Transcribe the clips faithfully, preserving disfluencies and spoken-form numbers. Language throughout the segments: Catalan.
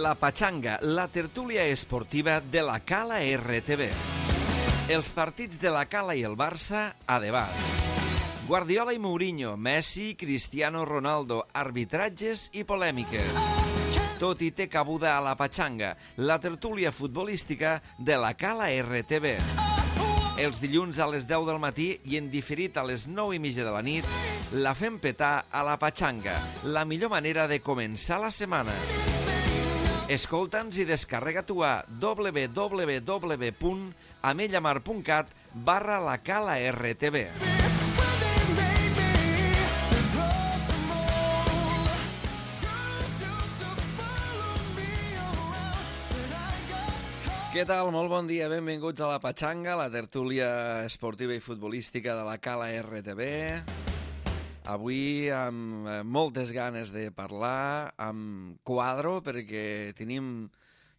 La Pachanga, la tertúlia esportiva de la Cala R T V. Els partits de la Cala i el Barça a debat. Guardiola i Mourinho, Messi, Cristiano Ronaldo, arbitratges i polèmiques. Tot i té cabuda a la Pachanga, la tertúlia futbolística de la Cala R T V. Els dilluns a les deu del matí i en diferit a les nou i mitja de la nit, la fem petar a la Pachanga, la millor manera de començar la setmana. Escolta'ns i descarrega-t'ho a w w w punt amellamar punt cat barra la Cala R T V. Què tal? Molt bon dia, benvinguts a la Pachanga, la tertúlia esportiva i futbolística de la Cala R T V. Avui amb moltes ganes de parlar, amb quadro, perquè tenim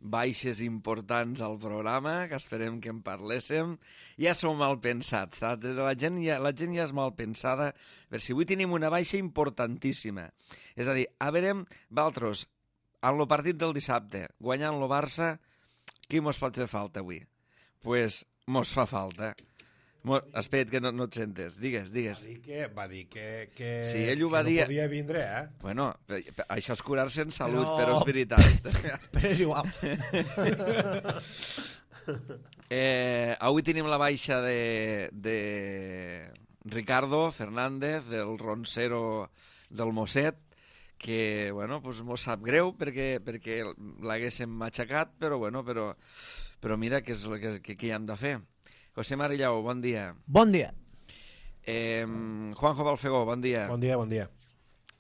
baixes importants al programa, que esperem que en parléssim. Ja som mal pensats, saps? La gent ja, la gent ja és mal pensada, per si avui tenim una baixa importantíssima. És a dir, a veure, vosaltres, en el partit del dissabte, guanyant el Barça, qui mos pot fer falta avui? Doncs pues, mos fa falta. Mos... Espera't, que no, no et sentes. Digues, digues. Va dir que, va dir que, que, sí, ell ho que va no dir... podia vindre, eh? Bueno, això és curar-se en salut, no. però és veritat. Però és igual. eh, avui tenim la baixa de, de Ricardo Fernández, del roncero del Mosset, que, bueno, pues mos sap greu perquè, perquè l'haguéssim matxacat, però, bueno, però, però mira què és el que, que, que hi hem de fer. José Marillau, bon dia. Bon dia. Eh, Juanjo Balfegó, bon dia. Bon dia, bon dia.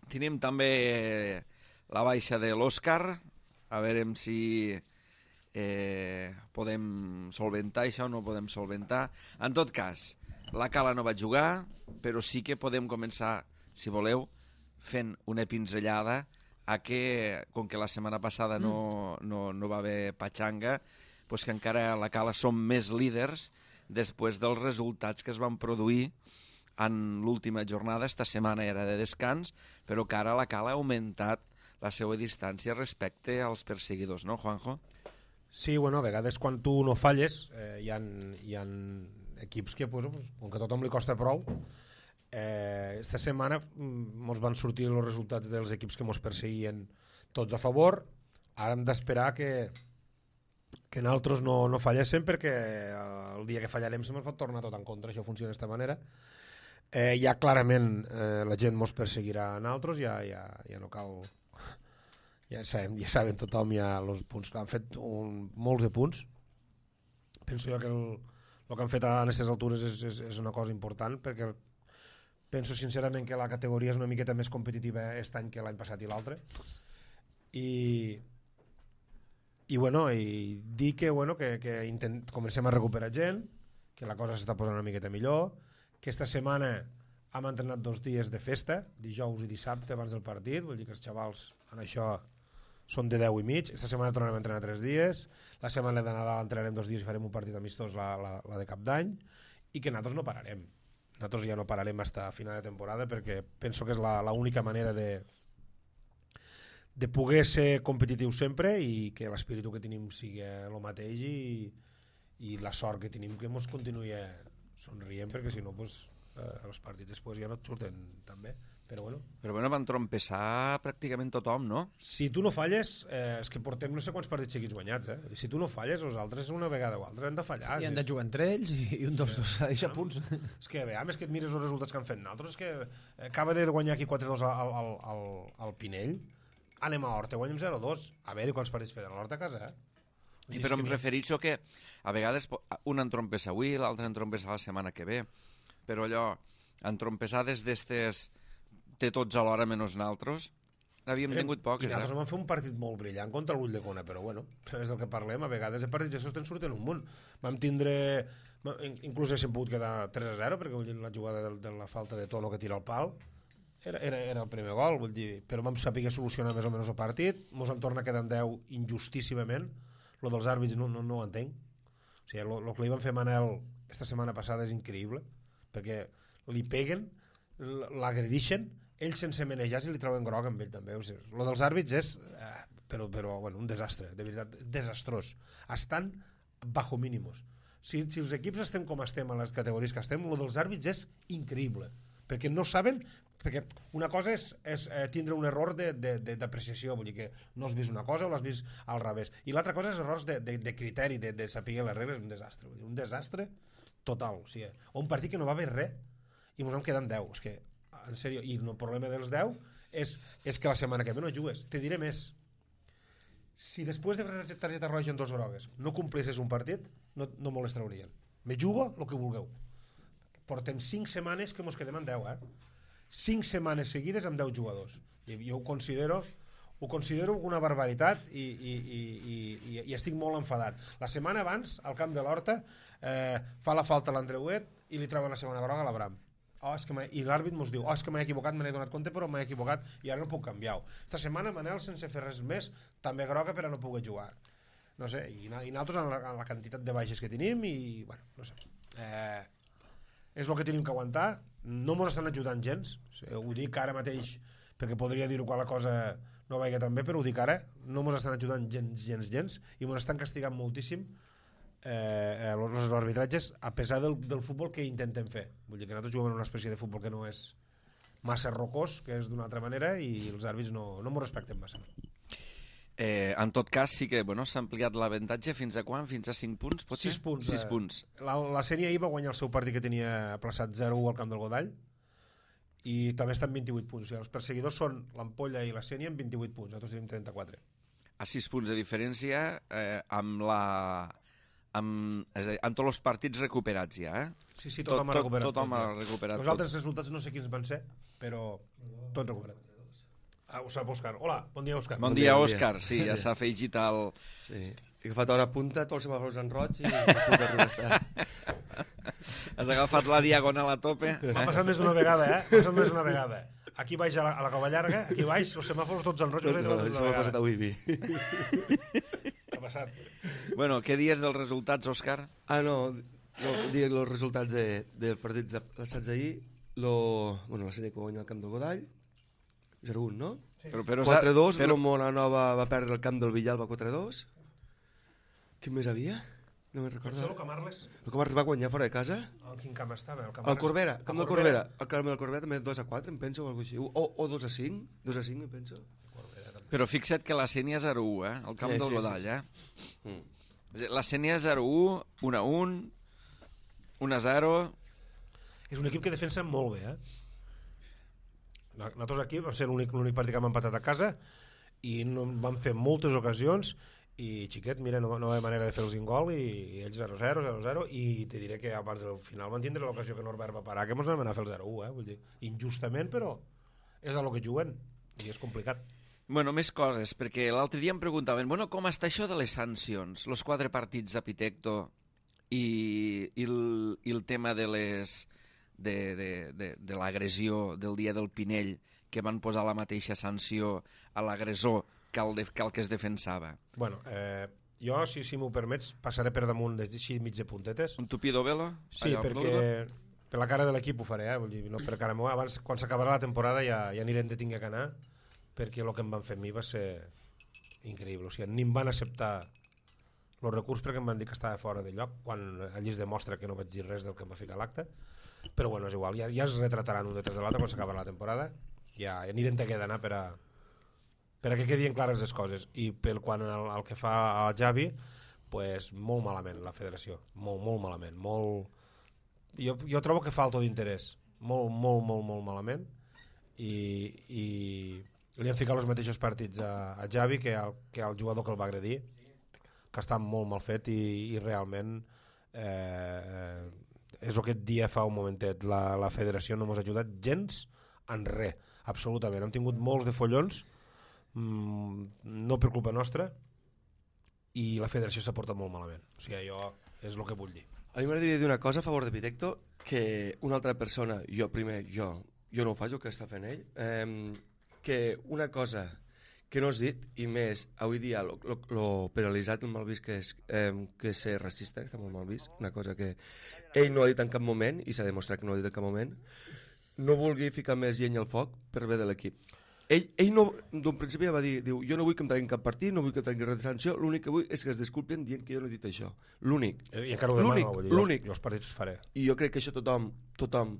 Tenim també la baixa de l'Òscar, a veure si eh, podem solventar això o no podem solventar. En tot cas, la Cala no va jugar, però sí que podem començar, si voleu, fent una pinzellada a que, com que la setmana passada no, no, no va haver Pachanga, pues que encara a la Cala som més líders després dels resultats que es van produir en l'última jornada. Esta setmana era de descans, però que ara la Cala ha augmentat la seva distància respecte als perseguidors, no, Juanjo? Sí, bueno, a vegades quan tu no falles, eh, hi, ha, hi ha equips que, pues, com que a tothom li costa prou, Eh, esta setmana mos van sortir els resultats dels equips que mos perseguien tots a favor. Ara hem d'esperar que que nosaltres no, no falléssim, perquè el dia que fallarem se mos pot tornar tot en contra. Això funciona d'aquesta manera. Eh, ja clarament eh, la gent mos perseguirà a nosaltres, ja, ja, ja no cal, ja sabem, ja saben tothom ja els punts. Han fet un, molts de punts. Penso jo que el, el que han fet a aquestes altures és, és, és una cosa important, perquè penso sincerament que la categoria és una miqueta més competitiva aquest any que l'any passat i l'altre. I, i bueno, i dir que, bueno, que, que intent, comencem a recuperar gent, que la cosa s'està posant una miqueta millor, que esta setmana hem entrenat dos dies de festa, dijous i dissabte abans del partit, vull dir que els xavals en això són de deu i mig. Esta setmana tornarem a entrenar tres dies, la setmana de Nadal entrenarem dos dies i farem un partit amistós, la, la, la de Cap d'Any, i que nosaltres no pararem. Nosaltres ja no pararem fins a final de temporada, perquè penso que és l'única manera de, de poder ser competitiu sempre i que l'espíritu que tenim sigui el mateix i, i la sort que tenim que ens continuï somrient, perquè si no pues, eh, els partits després ja no et surten tan bé. Però bueno. Però bueno, van trompeçar pràcticament tothom, no? Si tu no falles, eh, és que portem no sé quants partits seguits guanyats, eh? Si tu no falles, els altres una vegada o altra han de fallar. I han de jugar entre ells i, i un dels dos s'ha deixat punts. És que, a més que et mires els resultats que han fet nosaltres, és que acaba de guanyar aquí quatre dos al, al, al, al Pinell, anem a Horta, guanyem zero dos. A veure quants partits feien a l'Horta a casa, eh? I però em refereixo que a vegades un entrompessa avui, l'altre entrompessa la setmana que ve, però allò, entrompessades d'estes té tots alhora menys nosaltres, havíem tingut poques. I nosaltres eh? vam fer un partit molt brillant contra el Ulldecona, però bueno, és del que parlem, a vegades de partits ja te'n surten un munt. Vam tindre, inclús haguéssim pogut quedar tres a zero, perquè la jugada de, de la falta de Tono que tira el pal era, era, era el primer gol, vull dir, però vam saber solucionar més o menys el partit, mos en torna quedant deu injustíssimament, lo dels àrbits no, no, no ho entenc. O sigui, el que li van fer Manel esta setmana passada és increïble, perquè li peguen, l'agredixen, ells sense manejar si li troben groc amb ell també. O sigui, lo dels àrbits és eh, però, però bueno, un desastre, de veritat, desastrós. Estan bajo mínimos. Si, si els equips estem com estem a les categories que estem, lo dels àrbits és increïble, perquè no saben, perquè una cosa és, és eh, tindre un error d'apreciació, vull dir que no has vist una cosa o l'has vist al revés, i l'altra cosa és errors de, de, de criteri, de, de saber les regles, un desastre, vull dir, un desastre total, o sigui, un partit que no va haver res i ens vam quedar en deu, és que, en sèrio, i el problema dels deu és, és que la setmana que ve no jugues, te diré més. Si després de la targeta roja en dos grogues no complissis un partit, no, no me les traurien. Me jugo el que vulgueu. Portem cinc setmanes que mos quedem en deu, eh? cinc setmanes seguides amb deu jugadors. I jo ho considero, ho considero una barbaritat i, i, i, i, i estic molt enfadat. La setmana abans, al camp de l'Horta, eh, fa la falta a l'Andreuet i li treuen la segona groga a l'Abram. Oh, és que i l'àrbit mos diu, oh, és que m'he equivocat, me n'he donat compte, però m'he equivocat i ara no puc canviar. Esta setmana Manel, sense fer res més, també groga per a no poder jugar. No sé, i, i nosaltres en la, en la quantitat de baixes que tenim i, bueno, no sé. Eh, és el que tenim que aguantar. No mos estan ajudant gens, ho dic ara mateix perquè podria dir-ho quan la cosa no vagi tan bé, però ho dic ara, no mos estan ajudant gens, gens, gens, i mos estan castigant moltíssim eh, els arbitratges a pesar del, del futbol que intentem fer. Vull dir que nosaltres juguem en una espècie de futbol que no és massa rocós, que és d'una altra manera, i els àrbits no, no m'ho respecten massa. Eh, en tot cas, sí que bueno, s'ha ampliat l'avantatge fins a quan? Fins a cinc punts, potser? sis punts. sis eh, punts. La, la Sénia ahir va guanyar el seu partit que tenia aplaçat zero a u al camp del Godall, i també estan vint-i-vuit punts. O sigui, els perseguidors són l'Ampolla i la Sénia amb vint-i-vuit punts, nosaltres tenim trenta-quatre. A sis punts de diferència eh, amb la... Amb, és a dir, amb tots els partits recuperats ja, eh? Sí, sí, tothom tot, ha recuperat. Tot, tothom ha recuperat. Els altres resultats no sé quins van ser, però tot recuperat. Ah, ho sap Òscar. Hola, bon dia, Òscar. Bon, bon dia, dia Òscar. Sí, ja s'ha afegit al... Sí, he agafat hora punta, tots els semàfors en roig i no puc arribar a estar. Has agafat la diagonal a tope. M'ha passat més d'una vegada, eh? M'ha passat més d'una vegada. Aquí baix a la, a la Cova Llarga, aquí baix, els semàfors tots en roig. No, no, això m'ha passat avui, vi. Passat. Bueno, què dies dels resultats, Òscar? Ah, no, no dic els resultats de, dels partits passats ahir. Lo, bueno, la sèrie que va guanyar el camp del Godall, zero un, no? Sí. Però, però, quatre dos, però... el Monanova va perdre el camp del Villalba quatre dos. Quin més havia? No me'n recordo. El Camarles. El Camarles va guanyar fora de casa. En quin camp estava? El, el Corbera, el camp del Corbera. El camp del Corbera també dos a quatre, em penso, o alguna cosa així. O, o dos a cinc, dos a cinc, em penso. Però fixa't que la Sènia zero u, eh? El camp eh, del sí, Godall, sí, sí. eh? Mm. La Sènia zero u, un a un, un a zero... És un equip que defensa molt bé, eh? Nosaltres aquí vam ser l'únic partit que hem empatat a casa i no, vam fer moltes ocasions i xiquet, mira, no, no hi ha manera de fer els gol i, i ells zero zero, zero zero, i te diré que abans del final van tindre l'ocasió que Norbert va parar, que mos vam anar a fer el zero u, eh? Vull dir, injustament, però és a lo que juguen i és complicat. Bueno, més coses, perquè l'altre dia em preguntaven, bueno, com està això de les sancions? Els quatre partits a Pitecto i, i, el, i el tema de les de, de, de, de l'agressió del dia del Pinell, que van posar la mateixa sanció a l'agressor que, el de, que el que es defensava. Bueno, eh, jo, si, si m'ho permets, passaré per damunt així mig de puntetes. Un tupido velo? Sí, allò, perquè per la cara de l'equip ho faré, eh? Vull dir, no per cara meva. Abans, quan s'acabarà la temporada ja, ja anirem de tinga que anar, perquè el que em van fer a mi va ser increïble. O sigui, ni em van acceptar el recurs perquè em van dir que estava fora de lloc, quan allí es demostra que no vaig dir res del que em va ficar a l'acte. Però bueno, és igual, ja, ja es retrataran un detrás de l'altre quan s'acabarà la temporada. Ja, ja anirem de què d'anar per a, per a que quedin clares les coses. I pel quan el, el que fa a Javi, pues, molt malament la federació, molt, molt malament. Molt... Jo, jo trobo que falta d'interès, molt, molt, molt, molt malament. I, i li han ficat els mateixos partits a, a Javi que al, que al jugador que el va agredir, que està molt mal fet i, i realment eh, és el que et dia fa un momentet, la, la federació no ens ha ajudat gens en res, absolutament. Hem tingut molts de follons, mmm, no per culpa nostra, i la federació s'ha portat molt malament. O sigui, jo és el que vull dir. A mi m'agradaria dir una cosa a favor de Pitecto, que una altra persona, jo primer, jo, jo no ho faig el que està fent ell, eh, que una cosa que no has dit, i més avui dia lo, lo, lo penalitzat, el mal vist que és, eh, que és ser racista, que està molt mal vist, una cosa que ell no ha dit en cap moment, i s'ha demostrat que no ha dit en cap moment, no vulgui ficar més llenya al foc per bé de l'equip. ell, ell no, d'un principi ja va dir, diu, jo no vull que em treguin cap partit, no vull que em treguin res de sanció, l'únic que vull és que es disculpin dient que jo no he dit això. L'únic. I encara ho demano, L'únic, vull dir, l'únic. jo els partits els faré. I jo crec que això tothom, tothom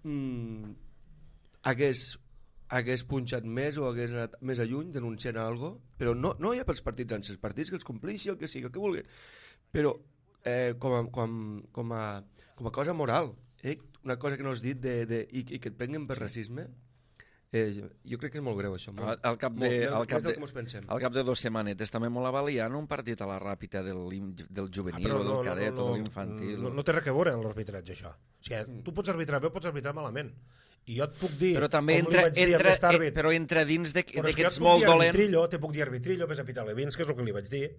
mm, hagués, hagués punxat més o hagués anat més a lluny denunciant alguna cosa, però no, no ja pels partits en els partits, que els compleixi, el que sigui, el que vulguin, però eh, com, a, com, com, a, com a cosa moral, eh? Una cosa que no has dit de, de, i, i que et prenguen per racisme, eh, jo crec que és molt greu això. Molt, Al cap de, molt, al cap més del de, que ens pensem. al cap de dos setmanetes també molt avaliant un partit a la ràpida del, del juvenil Ah, o del no, cadet no, no, o de l'infantil. No, no té res a veure amb l'arbitratge, això. O sigui, tu pots arbitrar bé o pots arbitrar malament. I jo et puc dir, Però també com entra, li vaig dir a entra, aquest àrbit, eh, però entra dins de, però de és que jo ets et puc molt dir dolent. arbitrillo, te puc dir arbitrillo, ves a pitar Levins, que és el que li vaig dir,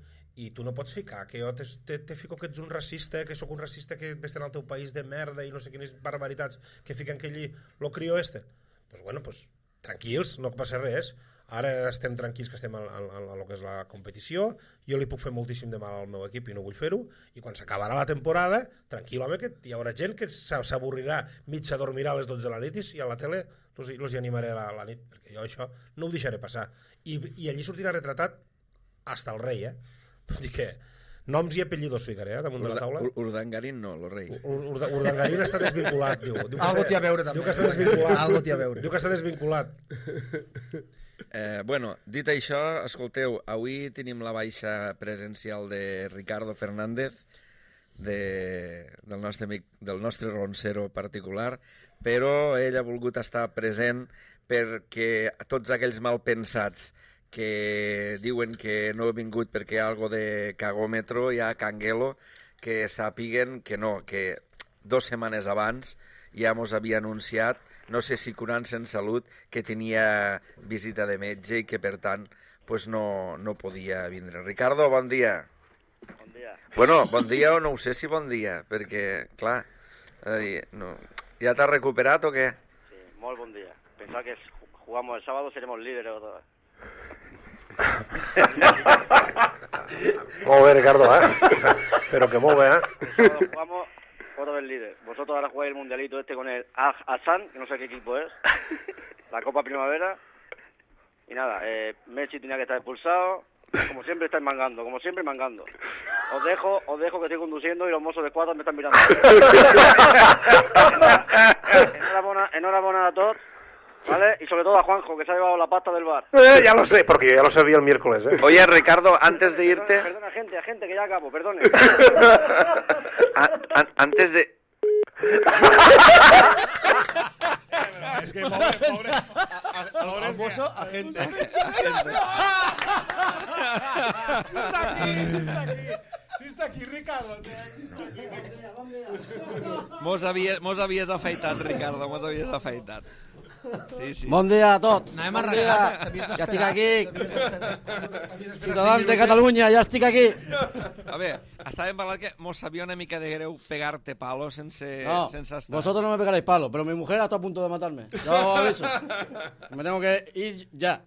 i tu no pots ficar que jo te, te, te fico que ets un racista, que sóc un racista que ves en el teu país de merda i no sé quines barbaritats que fiquen que allí lo crió este. Pues bueno, pues tranquils, no passa res. Ara estem tranquils que estem a, a, a, a lo que és la competició, jo li puc fer moltíssim de mal al meu equip i no vull fer-ho, i quan s'acabarà la temporada, tranquil, home, que hi haurà gent que s'avorrirà, mig s'adormirà a les dotze de la nit i a la tele los, los hi animaré a la, a la nit, perquè jo això no ho deixaré passar. I, i allí sortirà retratat hasta el rei, eh? Vull dir que noms i apellidos ficaré, eh, damunt de la taula. Ur Urdangarín no, el rei. Ur Ur Urdangarín està desvinculat, diu. diu Algo t'hi ha a veure, també. Diu que està desvinculat. Algo t'hi ha a veure. Diu que està desvinculat. Eh, bueno, dit això, escolteu, avui tenim la baixa presencial de Ricardo Fernández, de, del, nostre amic, del nostre roncero particular, però ell ha volgut estar present perquè tots aquells malpensats que diuen que no he vingut perquè hi ha algo de cagòmetro, hi ha canguelo, que sàpiguen que no, que dos setmanes abans ja mos havia anunciat, no sé si curant-se en salut, que tenia visita de metge i que per tant pues no, no podia vindre. Ricardo, bon dia. Bon dia. Bueno, bon dia o no ho sé si bon dia, perquè, clar, eh, no, ja t'has recuperat o què? Sí, molt bon dia. Pensaba que jugamos el sábado, seremos líderes o todo. Molt bé, Ricardo, eh? Però que molt bé, eh? El sábado jugamos otra vez líder. Vosotros ahora jugáis el mundialito este con el Al-Hassan, que no sé qué equipo es, la Copa Primavera. Y nada, eh, Messi tenía que estar expulsado. Como siempre estáis mangando, como siempre mangando. Os dejo, os dejo que estoy conduciendo y los mozos de escuadra me están mirando. enhorabuena, enhorabuena a todos, ¿vale? Y sobre todo a Juanjo, que se ha llevado la pasta del bar. Eh, ya lo sé, porque yo ya lo sabía el miércoles, ¿eh? Oye, Ricardo, antes de irte... Perdona, perdona gente, gente, que ya acabo, perdone. a, a, antes de... Es que pobre, pobre. Al, al mozo, a gente. Sí está aquí, sí está aquí. Sí està aquí, Ricardo. Mos havies, mos havies afaitat, Ricardo, mos havies afaitat. Sí, sí. Bon dia a tots. Anem bon arreglat. dia. Ja estic aquí. Ciutadans de Catalunya, ja estic aquí. A ver, estàvem parlant que mos sabia una mica de greu pegar-te palo sense, No, sense estar. vosotros no me pegaréis palo, pero mi mujer está a punto de matarme. Yo os aviso. Me tengo que ir ya.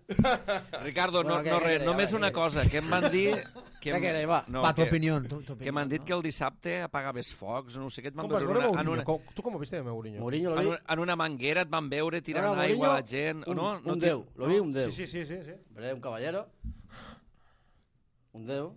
Ricardo, Bueno, no, què- no què res, queréis? només A veure, una què cosa, que em van dir... Que Què em- queréis, va? No, Va, tu que- opinió. Tu, tu Que m'han dit que el dissabte apagaves focs, no sé què, et van Com vas veure veure una, en, Mourinho? una, Com- Tu com ho viste, Mourinho? Mourinho lo en, vi. una, en una manguera et van veure tirant No, no, aigua a la Mourinho, gent. un, no, no un ti- déu, lo vi un déu. Sí, sí, sí, sí, sí. Hombre, un caballero. Un déu.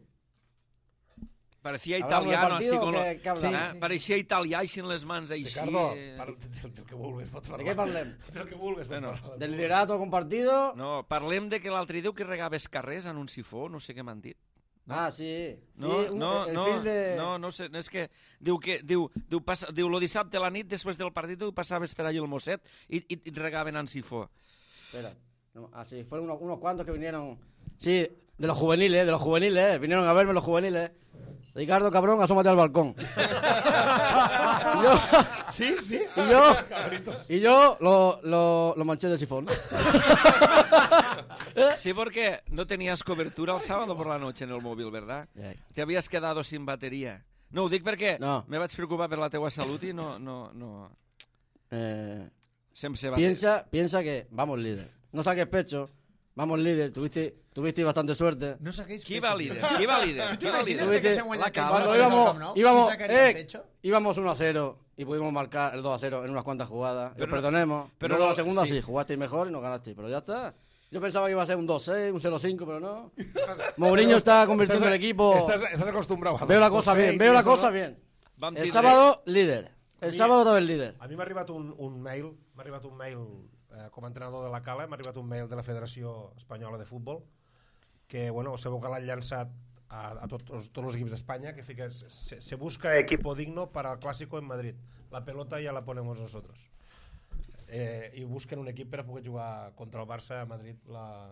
Parecía Hablamos del italiano, partido así con o lo, què- què hablamos? eh? Pareixia italià així en les mans, així. Ricardo, eh. par- del, del que vulguis, pots ¿De parlar. qué parlem? Del que vulguis, pots Bueno. parlar. Del liderato compartido. No, parlem de que l'altre diu que regaves carrers en un sifó, no sé què m'han dit. No? Ah, sí. Sí, No, un- no, el no, fil de... no, no sé, és que diu que diu, diu, passa, diu lo dissabte a la nit, després del partit, tu passaves per allí el mosset i, i, i regaven en sifó. Espera. No, ah, sí, fueron unos, unos cuantos que vinieron. Sí, de los juveniles, de los juveniles, eh. Vinieron a verme los juveniles. Ricardo, cabrón, asómate al balcón. y yo, Sí, sí. y yo, y yo lo, lo, lo manché de sifón. Sí, porque no tenías cobertura el sábado por la noche en el móvil, ¿verdad? Ja. Te habías quedado sin batería. No, ho dic perquè No. me vaig preocupar per la teua salut i no... no, no... Eh, Sense bateria. piensa, piensa que vamos líder. No saques pecho, vamos líder. Tuviste, tuviste bastante suerte. No saquéis Qui pecho, va tío. líder? Qui va líder? Qui va líder? Imaginaste que Tuviste- se huele la el cama. pecho Cuando en el íbamos, Camp Nou? íbamos, ¿Quién sacaría el eh, pecho? íbamos uno a cero y pudimos marcar el dos a cero en unas cuantas jugadas. Pero Los no- perdonemos. pero Pero no- la segunda sí. sí, jugasteis mejor y nos ganasteis. Pero ya está. Yo pensaba que iba a ser un dos seis, un cero cinco, pero no. Mourinho está convirtiendo el equipo. Estás, estás acostumbrado a... Veo la cosa bien, veo la cosa bien. El sábado, líder. El sábado otra vez líder. A mi m'ha arribat un, un mail, m'ha arribat un mail eh, com a entrenador de la Cala, m'ha arribat un mail de la Federació Espanyola de Futbol, que, bueno, sabeu que l'han llançat a, a tots, tots els equips d'Espanya, que fica, se, se busca equipo digno para el Clásico en Madrid. La pelota ya la ponemos nosotros. Eh, I busquen un equip per a poder jugar contra el Barça a Madrid la,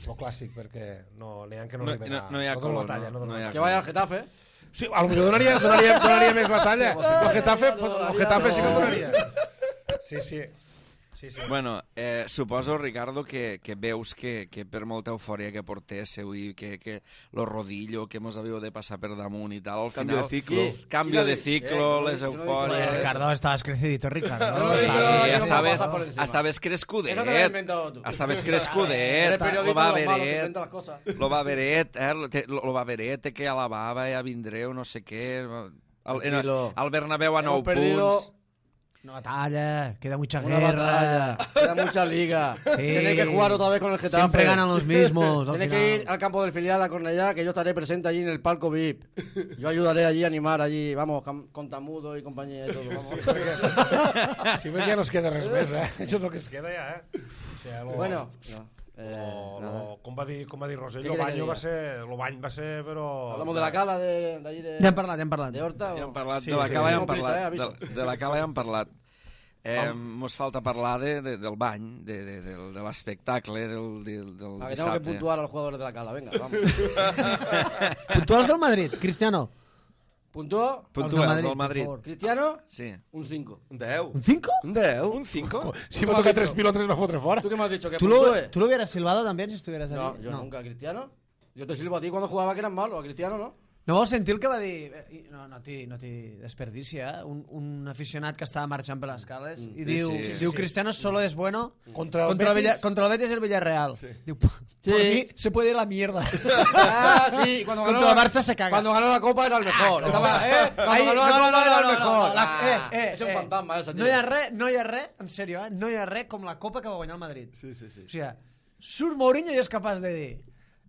lo clàssic, perquè no, n'hi ha que no, No, arriben no, a... no hi ha no donen color, la talla, no, no, no hi ha Que vaya al Getafe. Sí, a lo millor donaria, donaria, donaria més la talla. El Getafe, el Getafe sí que donaria. Sí, sí. Sí, sí. Bueno, eh, suposo, Ricardo, que, que veus que, que per molta eufòria que portéssiu i que, que lo rodillo que mos havíeu de passar per damunt i tal, al Cambio final... de ciclo. Sí. Cambio Y de la- ciclo, eh, les yo no he dicho Oye, nada de eufòries... eso. Ricardo, estabas crecidito, Ricardo. No, no, Sí, no, no, no, no, estaves, pasa por encima. estaves crescudet, Eso te lo has inventado tú. estaves Eres crescudet, periodista lo va de los malos, te veret, inventas las cosas. lo va veret, eh, lo, te- lo va veret, que a la bava ja vindreu, no sé què... Al, en, Tranquilo. al Bernabéu a nou Hemos perdido punts... Una batalla, queda mucha una guerra. batalla, queda mucha liga. Tenéis que jugar otra vez con el Getafe. Siempre ganan los mismos. al Tienes final. que ir al campo del filial a Cornellá, que yo estaré presente allí en el palco V I P. Yo ayudaré allí a animar allí, vamos, cam- con Tamudo y compañía y todo. Vamos. Sí, perquè ja no es queda res més, eh? Això és el que es queda ja, eh? O sigui, lo, Bueno, no, eh, lo, nada. lo, com va dir, com va dir Rosell, Què lo queréis que banyo va diga? ser, lo bany va ser, però... Hablamos de la cala de, de allí de, Ja hem parlat, ja hem parlat. de Horta. Ja o- hem parlat, Sí, de la sí, cala ja sí. hem Prisa, eh, parlat. aviso. De, de la cala ja hem parlat. Eh, mos falta parlar de, de, del bany, de, de, de, de l'espectacle del, del, del Ah, que tengo que dissabte. puntuar a los jugadores de la cala, venga, vamos. Puntuals del Madrid, Cristiano. Puntúo, Puntua, Els del del Madrid. por favor. Cristiano, Sí. un cinco. Un deu. ¿Un cinco? Un deu. Un cinco? Si va tocar tres pilotes va fotre fora. ¿Tú qué me has dicho? ¿Que ¿Tú lo, puntúe? ¿Tú lo hubieras silbado también si estuvieras No, allí? yo nunca. ¿Cristiano? Yo te silbo a ti cuando jugaba que eras malo, a Cristiano no. No vau sentir el que va dir... eh, No, no t'hi no desperdici, eh? Un, un aficionat que estava marxant per les cales i Sí, diu, sí, sí, diu sí. Cristiano solo es bueno Contra el contra, el Betis. Villa- contra el Betis y el Villarreal. Diu, Sí. por mí se puede ir a la mierda. Ah, sí, y cuando ganó, Contra el la- Barça se caga. Cuando ganó la Copa era el mejor. Estaba, ¿eh? Cuando Ahí- ganó la no, no, Copa no, era no, el no, mejor. no, la- Ah, eh, eh, és un eh. fantasma, ese, No hi ha res, no hi ha res, en sèrio, eh? No hi ha res com la copa que va guanyar el Madrid. Sí, sí, sí. O sigui, surt Mourinho i és capaç de dir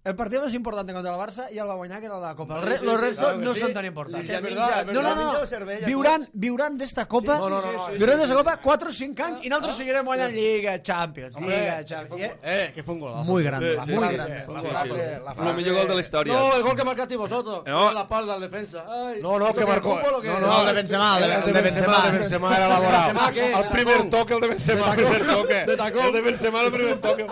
el partido más importante contra el Barça i el va guanyar, que era el de la Copa. El re, Sí, sí, los sí, restos claro que no sí. són tan importants. Ja És menja, verdad, No, no, ja no, menja no. cervell a Viuran, tots. viuran d'esta Copa, No, no, no, no. viuran d'esta Copa quatre o cinc anys i nosaltres seguirem guanyant Lliga, Champions, Hombre, Lliga, que Champions. fue I, un- eh, que fue un golazo. Muy grande, Sí, muy sí, grande. sí. La Sí, frase, sí. la El frase... millor gol de la història. No, el gol que marcasteis vosotros. No. No. La espalda al defensa. Ay, No, no, ¿esto que qué, marcó... fútbol o qué? No, No, el de Benzema, el de, El el de Benzema. el de Benzema era laboral. Benzema, ¿qué? El De primer tacón. toque, el de Benzema, el De primer tacón. toque. De tacón. El de Benzema, el primer toque.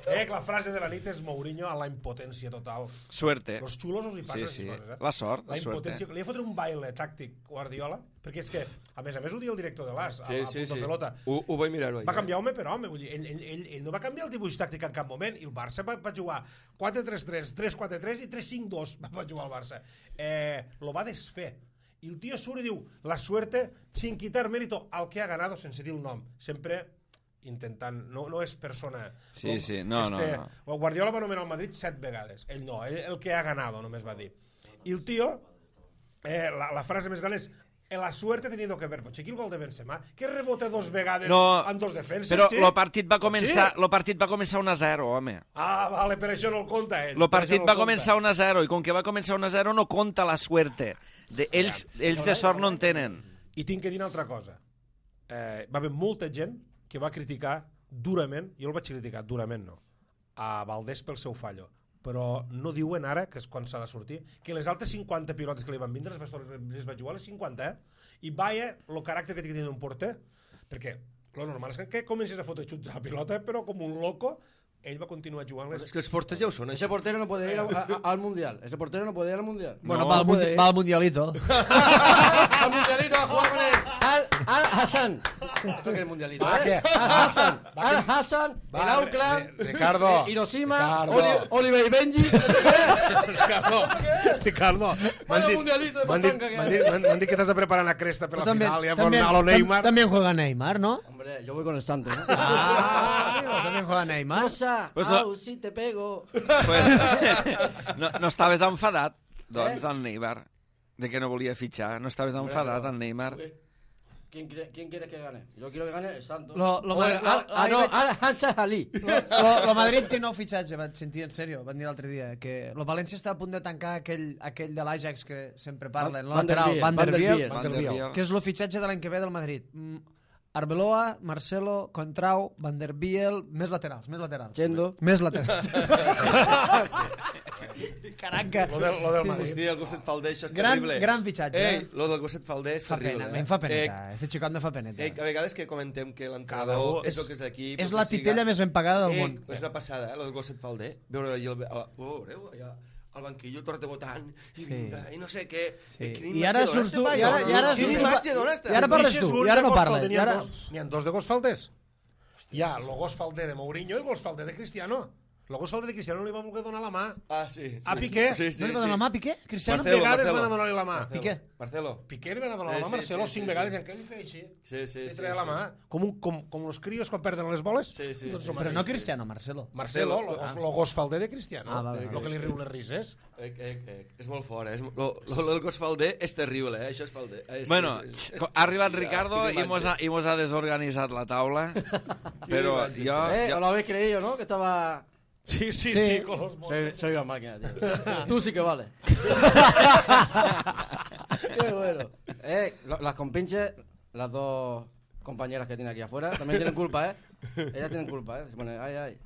Eh, que la frase de la nit és Mourinho a la impotència total. Suerte. Los xulos us hi passen Sí, sí. aquestes coses, eh? La sort, La la suerte. impotència. Li ha fotre un baile tàctic Guardiola, perquè és que, a més a més, ho diu el director de l'As, a, Sí, a sí, punto sí. pelota. Ho, ho vaig mirar-ho ahir. Va canviar home per home, vull dir, ell, ell, ell, ell no va canviar el dibuix tàctic en cap moment, i el Barça va, va jugar quatre tres tres, tres quatre tres i tres cinc dos va, va jugar el Barça. Eh, lo va desfer. I el tio surt i diu, la suerte sin quitar mérito al que ha ganado, sense dir el nom. Sempre intentant, no, no és persona... Sí, sí, no, no, no. Guardiola va anomenar el Madrid set vegades, ell no, ell el que ha ganado només va dir. I el tio, eh, la, la frase més gran és la suerte ha tenido que ver. Pues aquí el gol de Benzema, que rebota dos vegades No, en dos defenses, però sí? el partit va començar, Sí? lo partit va començar un a zero, home. Ah, vale, per això no el compta ell. El per partit això no va el compta. començar un a zero i com que va començar un a zero no compta la suerte. De, ells, ells de sort no en tenen. I tinc que dir una altra cosa. Eh, va haver molta gent que va criticar durament, jo el vaig criticar durament, no, a Valdés pel seu fallo, però no diuen ara, que és quan s'ha de sortir, que les altres cinquanta pilotes que li van vindre les va, les va jugar les cinquanta, eh? I vaya el caràcter que té que tenir un porter, perquè lo normal és que comencis a fotre xuts a la pilota, però com un loco, ell va continuar jugant les... És que els porters ja ho són, Ese això. portero no puede ir a- a- al mundial. Ese portero no puede ir al mundial. Bueno, No, va, al puede mundi- ir. va al mundialito. Al mundialito a jugar con el Al, Al Hassan. Eso que es el mundialito, Va, ¿eh? que- Al Hassan. Al Hassan. Va, El Auckland. Ri- Ricardo. eh, Hiroshima. Ricardo. Oli- Oliver y Benji. Ricardo, Ricardo, m'han Vaya dit, mundialito de m'han dit, pachanga que m'han hay. dit, m'han- m'han dit que t'has de preparar una cresta per la También, final, ja también, a lo Neymar. tam- también juega Neymar, ¿no? Hombre, yo voy con el Santos, ¿no? Ah, amigo, también juega Neymar. Rosa, Pues no- au, si te pego. Pues, no, no estaves enfadat, doncs, el Neymar, de que no volia fitxar. No estaves enfadat, el Neymar. ¿Qué ¿Quién, cre- ¿Quién quieres que gane? Yo quiero que gane el Santos. Lo- lo O el- Madrid- ah, lo- ah, ahí no, veig- ara Hansa Ali. Lo, lo Madrid té nou fitxatge, vaig sentir en sèrio, van dir l'altre dia, que el València està a punt de tancar aquell, aquell de l'Ajax que sempre parlen, el Van der lateral, Biel, Van der Van der Biel, Biel. Van der Biel. que és el fitxatge de l'any que ve del Madrid. Mm, Arbeloa, Marcelo, Contrau, Van der Biel, més laterals, més laterals. Chendo. Més laterals. Caranca. Lo del, lo del Madrid. Hòstia, el gosset falder, això és Gran, terrible. gran fitxatge. Ei, eh? lo del gosset falder és Fa terrible. pena, eh? em fa peneta. Eh, Este xicot me fa peneta. eh, a vegades que comentem que Cada l'entrenador un- és el que és l'equip... És el la que titella siga. més ben pagada del Eh, món. és una passada, eh, lo del gosset falder. Veure allà el, el, oh, veureu, allà al banquillo, tot rebotant, i Sí. vinga, i no sé què. Sí. Eh, quina I imatge ara dona surts este tu, i paio? ara- i ara Quina surts tu- imatge dona este? I ara parles Deixes tu, uns i ara de no gos parles, falder, i N'hi ha, ara- dos, n'hi ha dos de gos falters. Hi ha el gos falder de Mourinho i el gos falder de Cristiano. El gos falder de Cristiano no li va voler donar la mà. Ah, sí. sí. A Piqué. Sí, sí, No li va sí. donar la mà, Piqué? Cristiano? Cinc vegades van a donar-li la mà. Marcelo. Piqué. Marcelo. Piqué li van a donar Eh, la mà, sí, Marcelo, sí, cinc sí, vegades, sí. i encara li feia així. Sí, sí, Li sí. treia la sí. mà. Com, un, com, com els crios quan perden les boles. Sí, sí, Doncs sí, el Però mateix. no Cristiano, Marcelo. Marcelo, Marcelo, el gos, ah. lo gos falder de Cristiano. Ah, vale, El vale. que li riu les rises. Eh, eh, eh, és molt fort, eh? És, mo- lo, lo, lo del gos falder és terrible, eh? Això és falder. Eh, és, Bueno, és, és, ha arribat Hòstia, Ricardo quina i mos, ha, imatge. i mos ha desorganitzat la taula, però imatge, jo... Eh, jo ¿os lo habéis creído, no? Que estaba... Sí, sí, sí, sí con los bolos. Soy, soy una máquina, tío. Tú sí que vale. Qué bueno. Eh, lo- las compinches, las dos compañeras que tiene aquí afuera, también tienen culpa, ¿eh? Ellas tienen culpa, ¿eh? Se pone, ay, ay.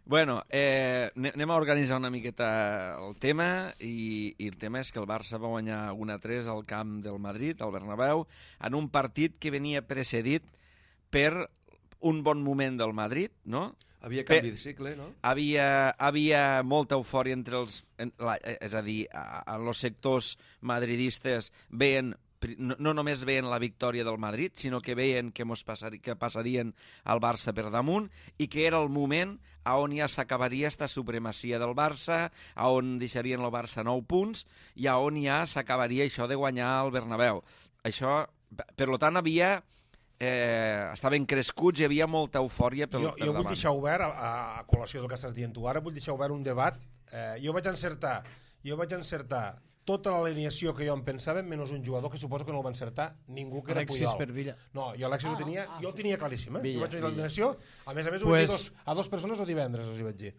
Bueno, eh, ane- anem a organitzar una miqueta el tema i, i el tema és que el Barça va guanyar un a tres al camp del Madrid, al Bernabéu, en un partit que venia precedit per un bon moment del Madrid, no? Havia canvi de cicle, no? Havia, havia molta eufòria entre els... En, la, és a dir, a- en els sectors madridistes veien pri- no, no només veien la victòria del Madrid, sinó que veien que, mos passari, que passarien al Barça per damunt i que era el moment a on ja s'acabaria esta supremacia del Barça, a on deixarien el Barça nou punts i a on ja s'acabaria això de guanyar el Bernabéu. Això, per tant, havia... Eh, estaven crescuts, hi havia molta eufòria per, Jo, per jo vull davant. deixar obert, a, a col·lació del que estàs dient tu ara, vull deixar obert un debat. Eh, jo vaig encertar jo vaig encertar tota l'alineació que jo em pensava, menys un jugador que suposo que no el va encertar ningú, que era Alexis Puyol. per Villa. No, jo Alexis ho tenia, jo el tenia claríssim, eh? Villa, jo vaig dir Villa. l'alineació, a més a més ho Pues- vaig dir dos, a dos persones el divendres, els hi vaig dir.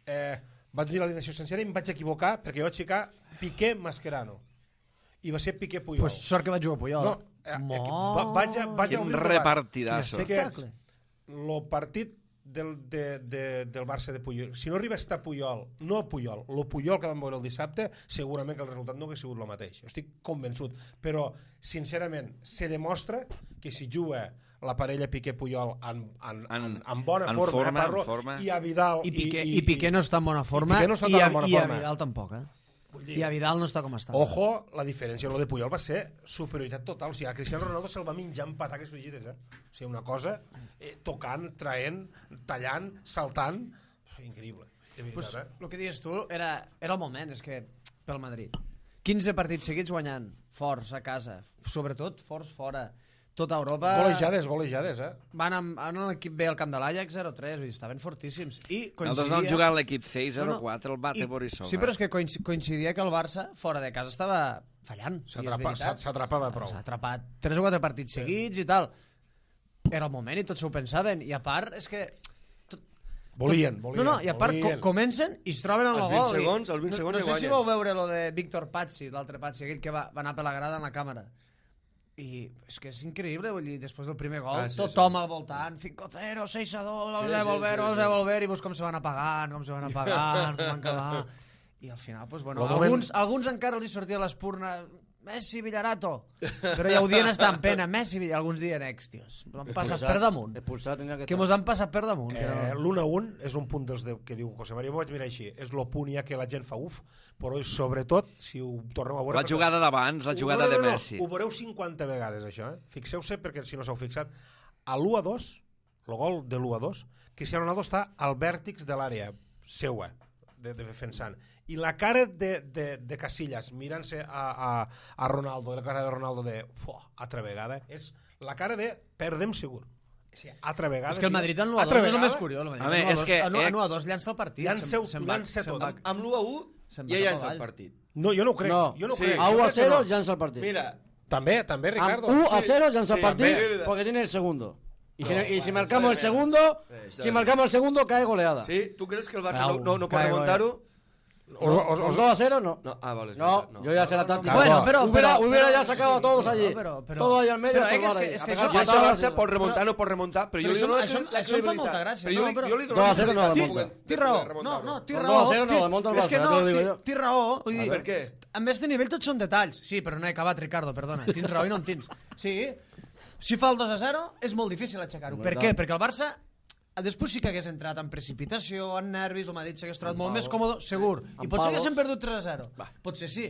Eh, vaig dir l'alineació sencera i em vaig equivocar perquè jo vaig ficar Piqué Mascherano. I va ser Piqué Puyol. Pues sort que va jugar Puyol. No, eh, eh, va- vaig a, vaig a Quin obrir el debat. repartidasso. Quin espectacle. El partit del, de, de, del Barça de Puyol, si no arriba a estar Puyol, no el Puyol, el Puyol que vam veure el dissabte, segurament que el resultat no hauria sigut el mateix. Jo estic convençut. Però, sincerament, se demostra que si juga la parella Piqué-Puyol en, en, en, En- en bona en forma, forma, eh, Parro, en forma. i a Vidal... I Piqué, i, i Piqué no està en bona forma, Piqué no està i, tan a, en bona i a forma. Vidal tampoc, eh? Vull dir, I a Vidal no està com està. Ojo, la diferència, lo de Puyol va ser superioritat total. O sigui, a Cristiano Ronaldo se'l va menjar amb pataques frigides, eh? O sigui, una cosa eh, tocant, traient, tallant, saltant... Increïble, de veritat, Pues, eh? el que dius tu era, era el moment, és que pel Madrid. quinze partits seguits guanyant, forts a casa, sobretot forts fora. Tota Europa... Golejades, golejades, eh? Van amb, amb l'equip B al camp de l'Ajax zero tres, vull dir, estaven fortíssims. I Nosaltres coincidia... vam jugar en l'equip C zero No, no. quatre, el bate I- Borisov. Sí, però és que coinc- coincidia que el Barça, fora de casa, estava fallant. Sí, és S'atrapa- veritat. s'a- S'atrapava prou. S'ha atrapat tres o quatre partits seguits i tal. Era el moment i tots s'ho pensaven. I a part, és que... Volien, volien. No, no, i a part co volien. comencen i es troben en el Els gol. vint i- segons, els vint no, segons no i sé si guanyen. vau veure lo de Víctor Pazzi, l'altre Pazzi, aquell que va, va anar per la grada en la càmera. I és que és increïble, vull dir, després del primer gol, Ah, sí, tothom al voltant, cinco cero, seis a dos, vamos Sí, a sí, volver, sí, vamos sí. a volver, i veus com se van apagant, com se van apagant, com van quedar... I al final, pues, bueno, Lo moment- alguns, alguns encara els hi sortia l'espurna, Messi, Villarato, però ja ho dien estar en pena, Messi, Villarato, alguns dien ex, tios, m'han passat per damunt, Expulsar tendría que que mos han passat per damunt. que Eh, no- L'un a un és un punt dels de, que diu José María, m'ho vaig mirar així, és lo punt ja que la gent fa uf, però sobretot, si ho torneu a veure... La jugada d'abans, la Ho- jugada no, no, de no, Messi. Ho veureu cinquanta vegades, això, eh? Fixeu-se, perquè si no s'heu fixat, a l'u a dos, el gol de l'u a dos, Cristiano Ronaldo està al vèrtex de l'àrea seua, de, de defensant. I la cara de, de, de Casillas mirant-se a, a, a Ronaldo, la cara de Ronaldo de fuà, altra vegada, és la cara de perdem segur. Sí, altra vegada. És que el tio. Madrid en l'u a dos Altra és el vegada. més curiós. El Madrid Home, en l'u a és dos- que, en l'u- eh, en l'u a dos llança el partit. Llanceu- se'n- se'n va- llança se'n tot. va- Amb l'u a u Se'n va ja cap llança avall. el partit. No, jo no ho crec. No, jo no ho sí. crec. A Jo u a crec que cero no. llança el partit. Mira, També, també, Ricardo. uno a Sí, cero ya en San sí, Martín también. porque tiene el segundo. Y si, No, y si bueno, marcamos el está bien. segundo, Eh, está si bien. marcamos el segundo, cae goleada. Sí? Tu creus que el Barça Bravo, no, no, no pot caigo, remuntar-ho? Os, os, ¿Los os, dos a cero? No. No, ah, vale. és No, veritat, yo ya sé la táctica. Bueno, pero- hubiera, pero- hubiera pero- ya sacado a todos allí. No, pero- pero- Todo ahí al medio. pero a es que- colgar es que- ahí. es A que pegar això- I això patadas. Barça pot remuntar, no pot remuntar, però jo Però li això- dono això- la això em fa molta gràcia, Però jo, no, li- però- jo li dono dos a la cero no credibilitat remunta. de poder- Té de raó, poder no, remuntar-ho. no, té Con raó. dos a cero no té- lo monta el és Barça, que ja no, te lo digo té- yo. té raó. Vull dir, Per què? a més de nivell tots són detalls. Sí, però no he acabat, Ricardo, perdona. Tens raó i no en tens. Sí, si fa el dos a zero és molt difícil aixecar-ho. Per què? Perquè el Barça després sí que hagués entrat en precipitació, en nervis, el Madrid s'hagués trobat molt més còmode, segur. I Amb potser palos. haguessin perdut tres a zero. Potser sí.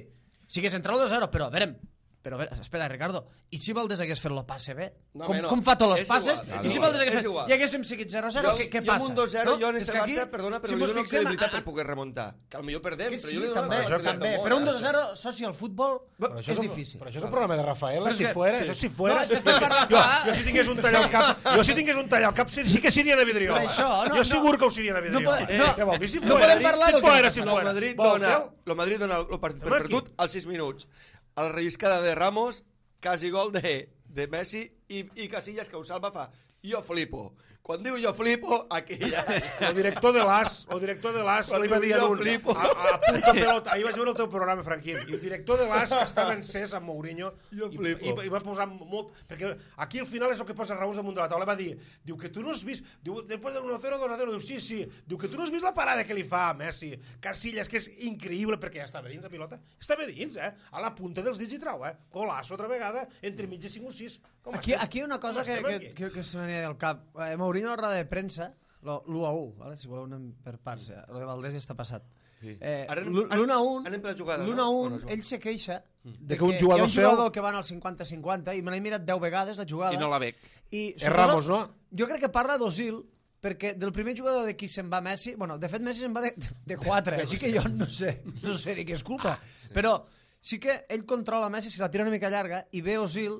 Si hagués entrat el dos a zero, però a veure, però a veure, espera, Ricardo, i si Valdés hagués fet el passe bé? No, com, home, no. com fa tots els És passes? igual, I és si igual, Valdés hagués és fet, igual. i haguéssim seguit zero a zero, Jo, què, què jo passa? amb un dos zero, jo en És este que aquí, Barça, perdona, però si li mos dono fixem en- credibilitat en- per poder remuntar. Que potser perdem, que però sí, jo li dono també, la credibilitat també. del món, Però un eh? dos a zero, soci, al futbol Però això és és un- difícil. Però això és un programa de Rafael, Però és si que- fuera, sí. això si fuera... No, és que estem parlant- jo, clar. jo si tingués un tall al cap, jo si tingués un tall al cap, sí, sí que seria a Vidriola. Per això, no, jo no. segur que ho seria a No Vidriola. pod- no. Què vol dir si No fuera? podem parlar si del que fuera, passa. si El fuera. Madrid Vol, dona, veu? el Madrid dona el partit per Home, aquí. perdut als sis minuts. A la relliscada de Ramos, quasi gol de, de Messi i, i Casillas, que ho salva, fa jo flipo. Quan diu jo flipo, aquí ja... El director de l'As, el director de l'As Quan li va dir a jo un, flipo. a, a punto pelota, ahir vaig veure el teu programa, Franquín, i el director de l'As estava encès amb Mourinho Jo i, flipo. i, i va posar molt... Perquè aquí al final és el que posa Raúl damunt de la taula, va dir, diu que tu no has vist, diu, després del uno a cero, dos a zero, diu, sí, sí, diu que tu no has vist la parada que li fa a Messi, Casillas, que és increïble, perquè ja estava dins la pilota, estava dins, eh, a la punta dels dits i trau, eh, golaço otra vegada, entre mig i cinc o sis. Com Aquí, estem? aquí hi ha una cosa Com que, estem que, aquí? que, que se m'ania del cap. Eh, Mourinho a la roda de premsa, l'u a u, vale? Si voleu anem per parts, ja. Lo de Valdés ja està passat. Sí. Eh, Ara anem- l'u a u, anem per la jugada, l'u no? a u, Bueno, és igual. ell se queixa De que un jugador hi ha un seu- jugador que va al cinquanta cinquanta i me l'he mirat deu vegades la jugada. I no la bec. I, És Ramos, no? Jo crec que parla d'Osil, perquè del primer jugador de qui se'n va Messi, bueno, de fet Messi se'n va de, de quatre, així que jo no sé, no sé de què és culpa, però sí que ell controla Messi, si la tira una mica llarga, i ve Osil,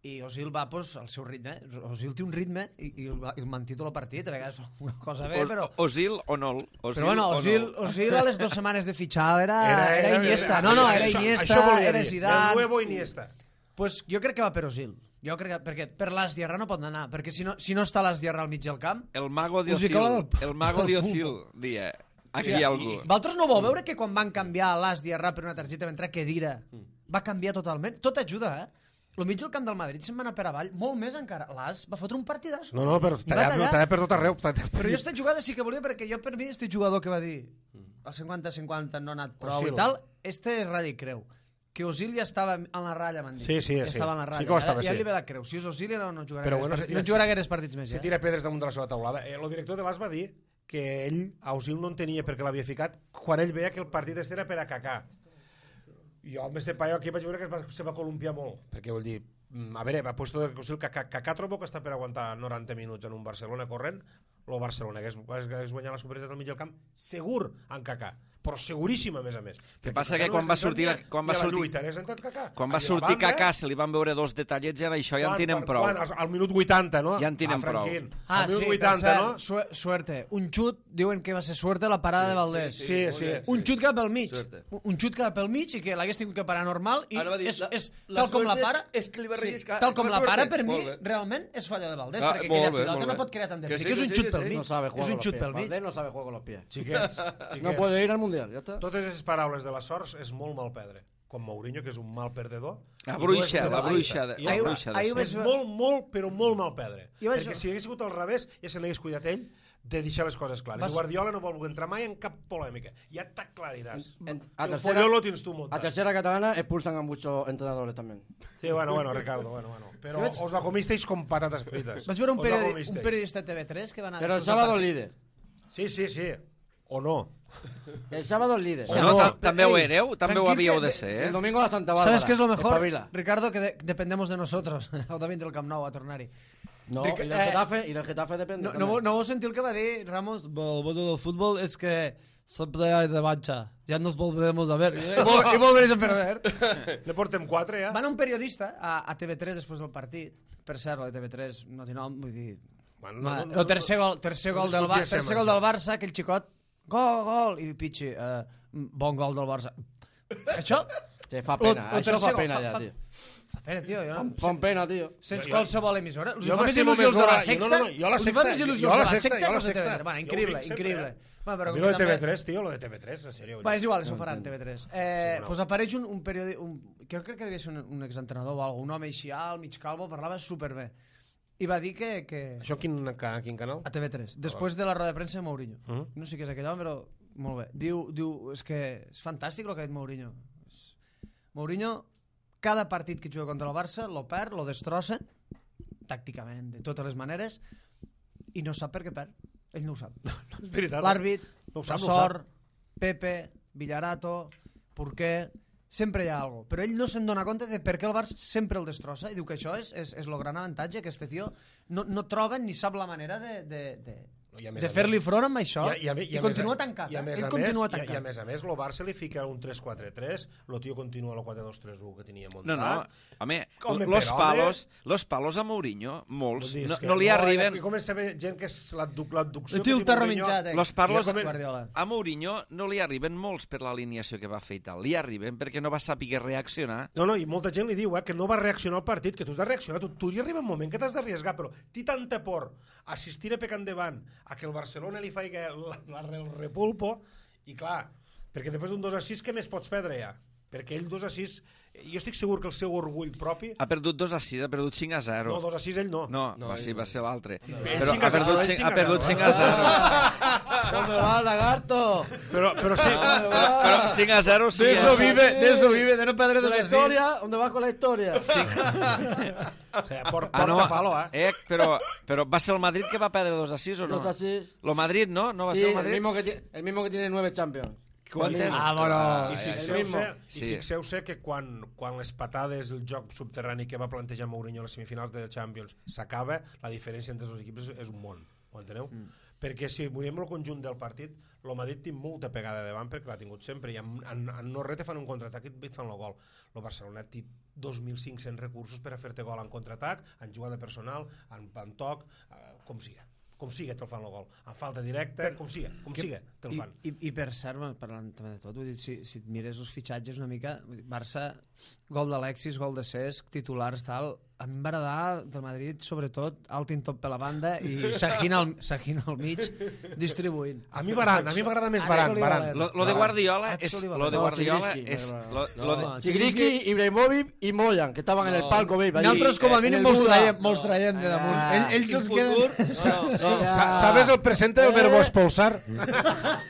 i Osil va pues, al seu ritme. Osil té un ritme i, i el, el manté tot el partit, a vegades fa una cosa bé, Os- però... Osil o no? Osil Però bueno, o Osil, no? Osil a les dues setmanes de fitxar era, era, Iniesta. No, no, era això- Iniesta, això volia era dir, Zidane. El nuevo Iniesta. Pues jo crec que va per Osil. Jo crec que, perquè per l'As Diarra no pot anar, perquè si no, si no està l'As Diarra al mig del camp... El mago de Osil. Musicola del- El mago de del Osil, dia. Aquí hi Hòstia, ha algú. Vosaltres no vau veure que quan van canviar l'As Diarra per una targeta va entrar Kedira? Va canviar totalment. Tot ajuda, eh? El mig del camp del Madrid se'n va anar per avall, molt més encara. L'As va fotre un partidàs. No, no, però I va tallar, no, tallar. tallar per tot arreu. tallar- Però jo aquesta jugada sí que volia, perquè jo per mi este jugador que va dir el cinquanta cinquanta no ha anat prou Osil. i tal, este és ratlla i creu. Que Osil ja estava en la ratlla, m'han dit. Sí, sí, ja sí. estava en la ratlla. Sí que ho estava, ja, ja sí. li ve la creu. Si és Osil ja no, no jugarà Però gaires bueno, se partits, tira- no jugarà gaires partits més. Se Ja. tira pedres damunt de la seva taulada. Eh, el director de l'As va dir que ell, a Osil no entenia perquè l'havia ficat quan ell veia que el partit este era per a Kaká. Jo amb este paio aquí vaig veure que es va, se va columpiar molt, perquè vol dir, mm, a veure, va puesto de Osil, Kaká, Kaká trobo que està per aguantar noranta minuts en un Barcelona corrent, el Barcelona hagués, hagués guanyat la superioritat al mig del camp segur en Kaká, però seguríssim a més a més. Que Perquè passa Kaká que no quan és va entrat sortir- ni a- quan ni va a la sortir- lluita, hagués entrat Kaká. Quan va I a sortir banda, Kaká se li van veure dos detallets ja d'això ja en quan- tenen quan- prou. quan, al, al minut vuitanta, no? Ja en tenen ah, Franquín, prou. Ah, al minut sí, vuitanta, per no? cert, su suerte. Un xut, diuen que va ser suerte la parada de Valdés. sí, Sí, molt sí. bé. Un xut cap al mig. Suerte. Un xut cap al mig i que l'hagués tingut que parar normal i Ara va dir, és, la- és, la tal com la suerte para... és- és que li va relliscar, tal és com la la para, suerte. per mi, Molt bé. realment és fallo de Valdés, Ah, perquè molt aquella bé, pilota molt no bé. pot crear tant de Que perill, sí, que és que un sí, xut que pel sí. mig. No sabe jugar És con un los xut pies. pel mig. Valdés no sabe jugar con los pies. Xiquets, xiquets. No puede ir al mundial, ya está. Totes les paraules de la sorts és molt mal perdre. Com Mourinho, que és un mal perdedor. La i no bruixa, és la penalista. bruixa de- I la ja està. bruixa de Ahir ser. vaig És veure- molt, molt, però molt mal perdre. Jo vaig- Perquè si hagués sigut al revés, ja se l'hagués cuidat ell de deixar les coses clares. Vas- I Guardiola no vol entrar mai en cap polèmica. Ja t'aclariràs. En- a El tercera- folló lo tens tu A muntat. tercera catalana expulsan a muchos entrenadores también. Sí, bueno, bueno, Ricardo, bueno, bueno. Però Jo vaig- os la comisteis com patates frites. Vaig veure un, Os la periodi comisteis. un periodista de T V tres que va anar... Pero el després del sábado partit. líder. Sí, sí, sí. O no. El sábado líder. O No, no. ta- també ho Ei, éreu, també ho tranquil havíeu que- de ser, El eh? domingo la Santa Bárbara. ¿Sabes qué es lo mejor? Espabila. Ricardo, que de dependemos de nosotros. O también del Camp Nou a tornar-hi. No, Ric- y del eh, Getafe, y del Getafe depende. No, no, también. vau- no vau sentir el que va dir Ramos? El bueno del fútbol es que siempre hay revancha. Ya nos volveremos a ver. Y, vol- y volveréis a perder. Ne portem quatre, ja. Va anar un periodista a, a T V tres després del partit. Per cert, la de T V tres no té nom, vull dir... Bueno, No, no, no, el tercer gol, tercer no gol, del, Bar discutíssim, tercer gol això. del Barça, aquell xicot, gol, gol, i Pichi, eh, bon gol del Barça. Això... Sí, fa Lo- pena, lo això tercer fa gol, pena fa- ja, fa- tio. Fa Espera, tio, jo no... Fan pena, tio. Sense qualsevol emissora. Els Jo fa més m'estimo il·lusions més de la l'hora- Sexta? no, no, no, jo a la Els fa Sexta- més jo il·lusions a la de la Sexta- Sexta jo a la que els de T V Sexta. tres. Bueno, Jo ho increïble, dic sempre, increïble. eh? Bueno, però A mi lo de també- T V tres, tio, lo de T V tres, en sèrio. Va, és igual, això ho faran T V tres. Eh, Sí, no. pues apareix un, un periodi... Un, crec, crec que devia ser un, un exentrenador o alguna, un home així alt, mig calvo, parlava superbé. I va dir que... que... Això quin, ca- quin canal? A T V tres, després de la roda de premsa de Mourinho. Mhm. No sé què és aquell home, però molt bé. Diu, diu és que és fantàstic el que ha dit Mourinho. És- Mourinho, cada partit que juga contra el Barça, lo perd, lo destrossa, tàcticament, de totes les maneres, i no sap per què perd. Ell no ho sap. És veritat. L'àrbit, No ho la sap, no ho sort, Pepe, Villarato, Porqué... Sempre hi ha alguna cosa. Però ell no se'n dona compte de per què el Barça sempre el destrossa i diu que això és, és, és el gran avantatge, que este tio no, no troba ni sap la manera de, de, de, I a més de a fer-li més- front amb això i, I, a, i, a, i continua més, a- tancat. I a eh? més Ell a continua més, tancat. i, i a més a més, el Barça li fica un tres quatre tres, el tio continua el quatre dos tres u que tenia muntat. No, no, home, Home, los però, palos, los palos a Mourinho, molts, Vull dir, no, és que no li arriben... Aquí comença a haver gent que és l'adduc- l'adducció... El tio el terra menjat, eh? Los palos Ja come- Guardiola. a Mourinho no li arriben molts per l'alineació que va fer i tal. Li arriben perquè no va saber reaccionar. No, no, i molta gent li diu eh, que no va reaccionar al partit, que tu has de reaccionar, tu, tu hi arriba un moment que t'has d'arriesgar, però té tanta por assistir a pecar endavant, a que el Barcelona li faci la, la, el repulpo, i clar, perquè després d'un dos a sis, què més pots perdre ja? Perquè ell dos a sis, jo estic segur que el seu orgull propi... Ha perdut dos a sis, ha perdut cinc a zero. No, dos a sis ell no. No, No, va, ell sí, no. va ser l'altre. Ell Però cinc a ha perdut zero, ell cinc- cinc a ha perdut zero. cinc a zero. ¿Dónde va, lagarto? Però, però sí, Però cinc a zero sí. De eso eh? vive, de eso vive, de no perdre ¿De dos la así. historia? ¿Dónde vas con la historia? o sigui, por, Ah, porta no, palo, eh? eh, però, però va ser el Madrid que va perdre dos a sis o no? Dos así. Lo Madrid, no? No va Sí, ser el el Madrid? mismo, que tiene, el mismo que tiene nueve Champions. Quantes? Ah, bueno. I ja, ja. fixeu-se Sí. i fixeu-se que quan, quan les patades, el joc subterrani que va plantejar Mourinho a les semifinals de Champions s'acaba, la diferència entre els dos equips és, és un món, ho enteneu? Mm. Perquè si mirem el conjunt del partit, el Madrid té molta pegada davant perquè l'ha tingut sempre, i en, en, en no res te fan un contraatac i et fan el gol. El Barcelona té dos mil cinc-cents recursos per a fer-te gol en contraatac, en jugada personal, en, en toc, eh, com siga. Com siga te'l fan el gol. En falta directa, com siga, com Que- siga te'l I, fan. i, I per cert, bueno, parlant també de tot, vull dir, si, si et mires els fitxatges una mica, vull dir, Barça, gol d'Alexis, gol de Cesc, titulars, tal, a mi em va agradar del Madrid, sobretot, Altin top per la banda i Sahin al, Sahin al mig, distribuint. A mi Varane, a mi m'agrada més Varane. Axel Varane. Oliver. Lo, lo de Guardiola Ah, és... Sullivan. Lo de No, Guardiola Chigriski, és... me Lo, va- lo de, No, Chigriski, Ibrahimovic i Moyan, que estaven en el palco, veis. Nosaltres com a mínim mos traiem, mos traiem de damunt. Ah. Ell, ells I el els futur? queden... No, no. Sa- ¿Sabes el presente del verbo expulsar?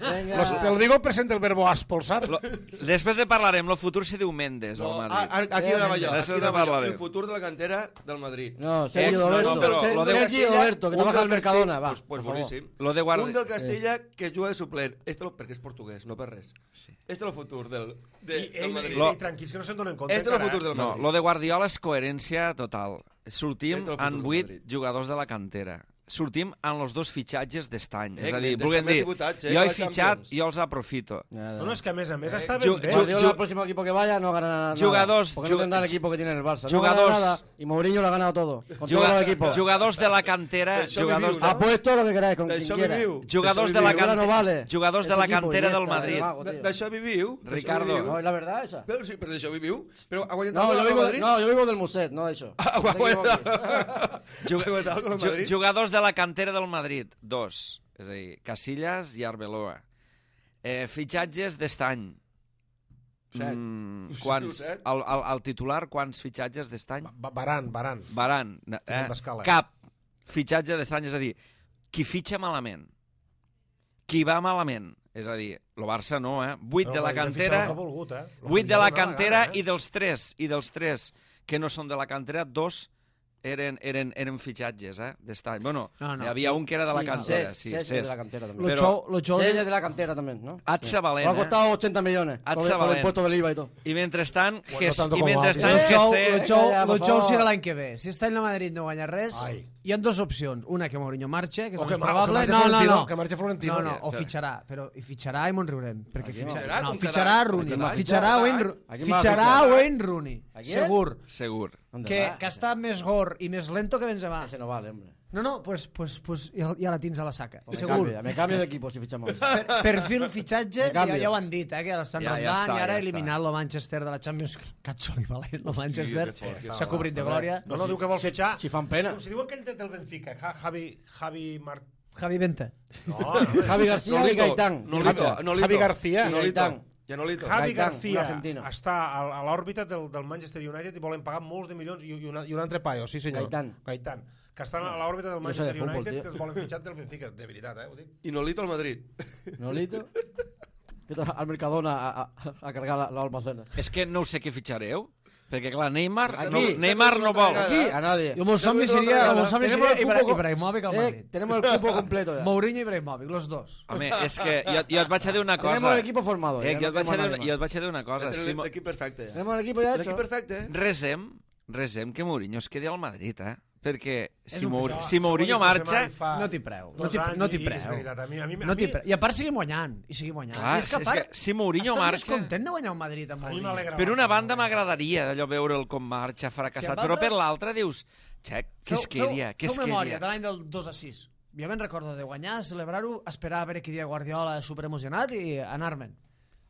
Venga. Los, te lo digo el presente del verbo expulsar. lo, després de parlarem, lo futur se diu Mendes No, al a- Madrid. a- aquí anava jo, Després aquí ne anava jo. parlarem. El futur de la cantera del Madrid. No, Eh, Sergio no, no, Roberto. però Ser- lo de Sergio Castella, Roberto, que un trabaja en del el Mercadona, va. Pues, pues por favor. boníssim. Lo de Guard... Un del Castella que es juga de suplent. Este lo, perquè és portuguès, no per res. Sí. Este és el futur del, de, I, del ell, Madrid. ell, ell, tranquils, que no se'n donen compte. Este és el encara, futur eh? del No, Madrid. lo de Guardiola és coherència total. Sortim És del futur en del vuit Madrid. jugadors de la cantera. Sortim en els dos fitxatges d'estany. Eh, És a dir, Mendes volguem també dir, ha debutat, eh, jo a he la fitxat, Champions. jo els aprofito. No, no, és que a més a més Eh, està ju- ben bé. ju- Guardiola, el próximo equipo que vaya, no gana nada. Jugadors- Porque no ju- tendrá el equipo que tiene en el Barça. No jugadors- gana nada. Y Mourinho lo ha ganado todo. Con Juga- todos los equipos. Jugadors de la cantera, Això jugadors viviu, de, no? Apuesto lo que queráis con quien D'això quiera. viviu. jugadors de D'això la viviu. Ahora no cantera, vale. jugadors de Ese la equipo, cantera del Iniesta, Madrid. Vago, D- tío. D'això viviu. d'això Ricardo. viviu. No, es la verdad esa. Però, sí, però d'això viviu. Però ha guanyat No, el yo Real vivo, Madrid. no, yo vivo del Muset, no de eso. Ha No te equivoques. Ju- Ha guanyat el ju- Madrid. jugadors de la cantera del Madrid, dos. És a dir, Casillas i Arbeloa. Eh, fitxatges d'estany. Set. Mm, Sí, quants? set. El, el, el titular, quants fitxatges d'estany? Va- Baran, Baran. Baran. Eh? Tenen d'escala. Cap fitxatge d'estany, és a dir, qui fitxa malament, qui va malament, és a dir, el Barça no, eh? Vuit de la cantera, Ha volgut, eh? Lo vuit que de li la ha donat cantera gana, eh? i dels tres, i dels tres que no són de la cantera, dos eren, eren, eren fitxatges, eh? D'estany. Bueno, No, no. hi havia un que era de la Sí, cantera, Cesc, sí, Cesc es Cesc. de la cantera Lo también. Però- xou, lo xou Cesc de... es de la cantera también, ¿no? Atza Lo ha valent, eh? costado ochenta millones. Atza Por, por el valent. impuesto del I V A y todo. I mentrestant, Bueno, Ges- tanto i como mentrestant Lo Aldi. xou, Gessé... lo xou, Ja, lo por xou favor. serà l'any que ve. Si està en la Madrid no guanya res, Ai. hi ha dues opcions. Una, que Mourinho marxa, que és O el que més mar- o que probable. marxa No, no, Florentino, no. que marxa Florentino. No, no, o Que- fitxarà, però i fitxarà i me'n riurem. Perquè Aquí no. fitxarà, Fitxarà no, com fitxarà cada- Rooney. com cada any. Fitxarà Cada Wayne, any. Ru- Aquí m'ha fitxarà fitxat. Wayne Rooney. ¿A quién? Segur. Segur. que, que està més gor i més lento que Benzema. Ese no vale, hombre. No, no, pues, pues, pues ja, ja la tens a la saca. Pues Segur. Me cambio, me cambio de equipo si fichamos. Per, perfil fitxatge, Me cambio. ja, ja ho han dit, eh, que l'estan Ja, ja rondant està, i ara ja ha eliminat el Manchester de la Champions. Catsoli valent, el Manchester. que fort, que S'ha cobrit de glòria. No, no, diu que vol fitxar... Si fan pena. Si diuen que ell té del Benfica, Ja- Javi... Javi Mar... Javi Vente. No, no, Javi García y Gaitán. Nolito, Nolito. Javi García. Y Nolito. Gaitán. I Nolito. Javi Gaitán, García un argentino. està a, a l'òrbita del, del Manchester United i volen pagar molts de milions i, i, una, i un altre paio, sí senyor. Gaitán. Gaitán. Que estan a l'òrbita del Jo sé de Manchester futbol, United tio. que els volen fitxar del Benfica. De veritat, eh, ho dic. I Nolito al Madrid. Nolito. Que te va al Mercadona a, a, a cargar la- l'almacena. És que no sé què fitxareu, perquè clar, Neymar, Aquí. no, Neymar no vol. Aquí, a nadie. I el meu somni Tenemos seria, otra el meu vegada. somni Tenemos seria el Ibra, cupo- Ibrahimovic al Eh, Madrid. tenemos el cupo completo ya. Mourinho i Ibrahimovic, los dos. Home, és que jo, jo et vaig a dir una cosa. Tenemos el equipo formado. Eh, ya, jo, no et vaig a queremos dir, nadie jo más. et vaig a dir una cosa. Si, mo- L'equip perfecte, ja. Tenemos el equipo ya hecho. L'equip perfecte, eh? resem, resem que Mourinho es quedi al Madrid, eh? Perquè si, un Mour fiscal. si Mourinho marxa... No t'hi preu. No Dos t'hi anys no t'hi i- i és preu. veritat, a mi- a mi- a No mi- t'hi preu. I a part seguim guanyant. I seguim guanyant. Clar, I és que a és part, que si Mourinho estàs marxa- més content de guanyar un Madrid amb A mi Mourinho. m'alegra. Per una banda m'agradaria allò veure'l com marxa, fracassat, Si amb però per altres- l'altra dius, xec, què es quedia, què es Feu memòria quedia? de l'any del dos a sis. Jo me'n recordo de guanyar, celebrar-ho, esperar a veure qui dia Guardiola superemocionat i anar-me'n.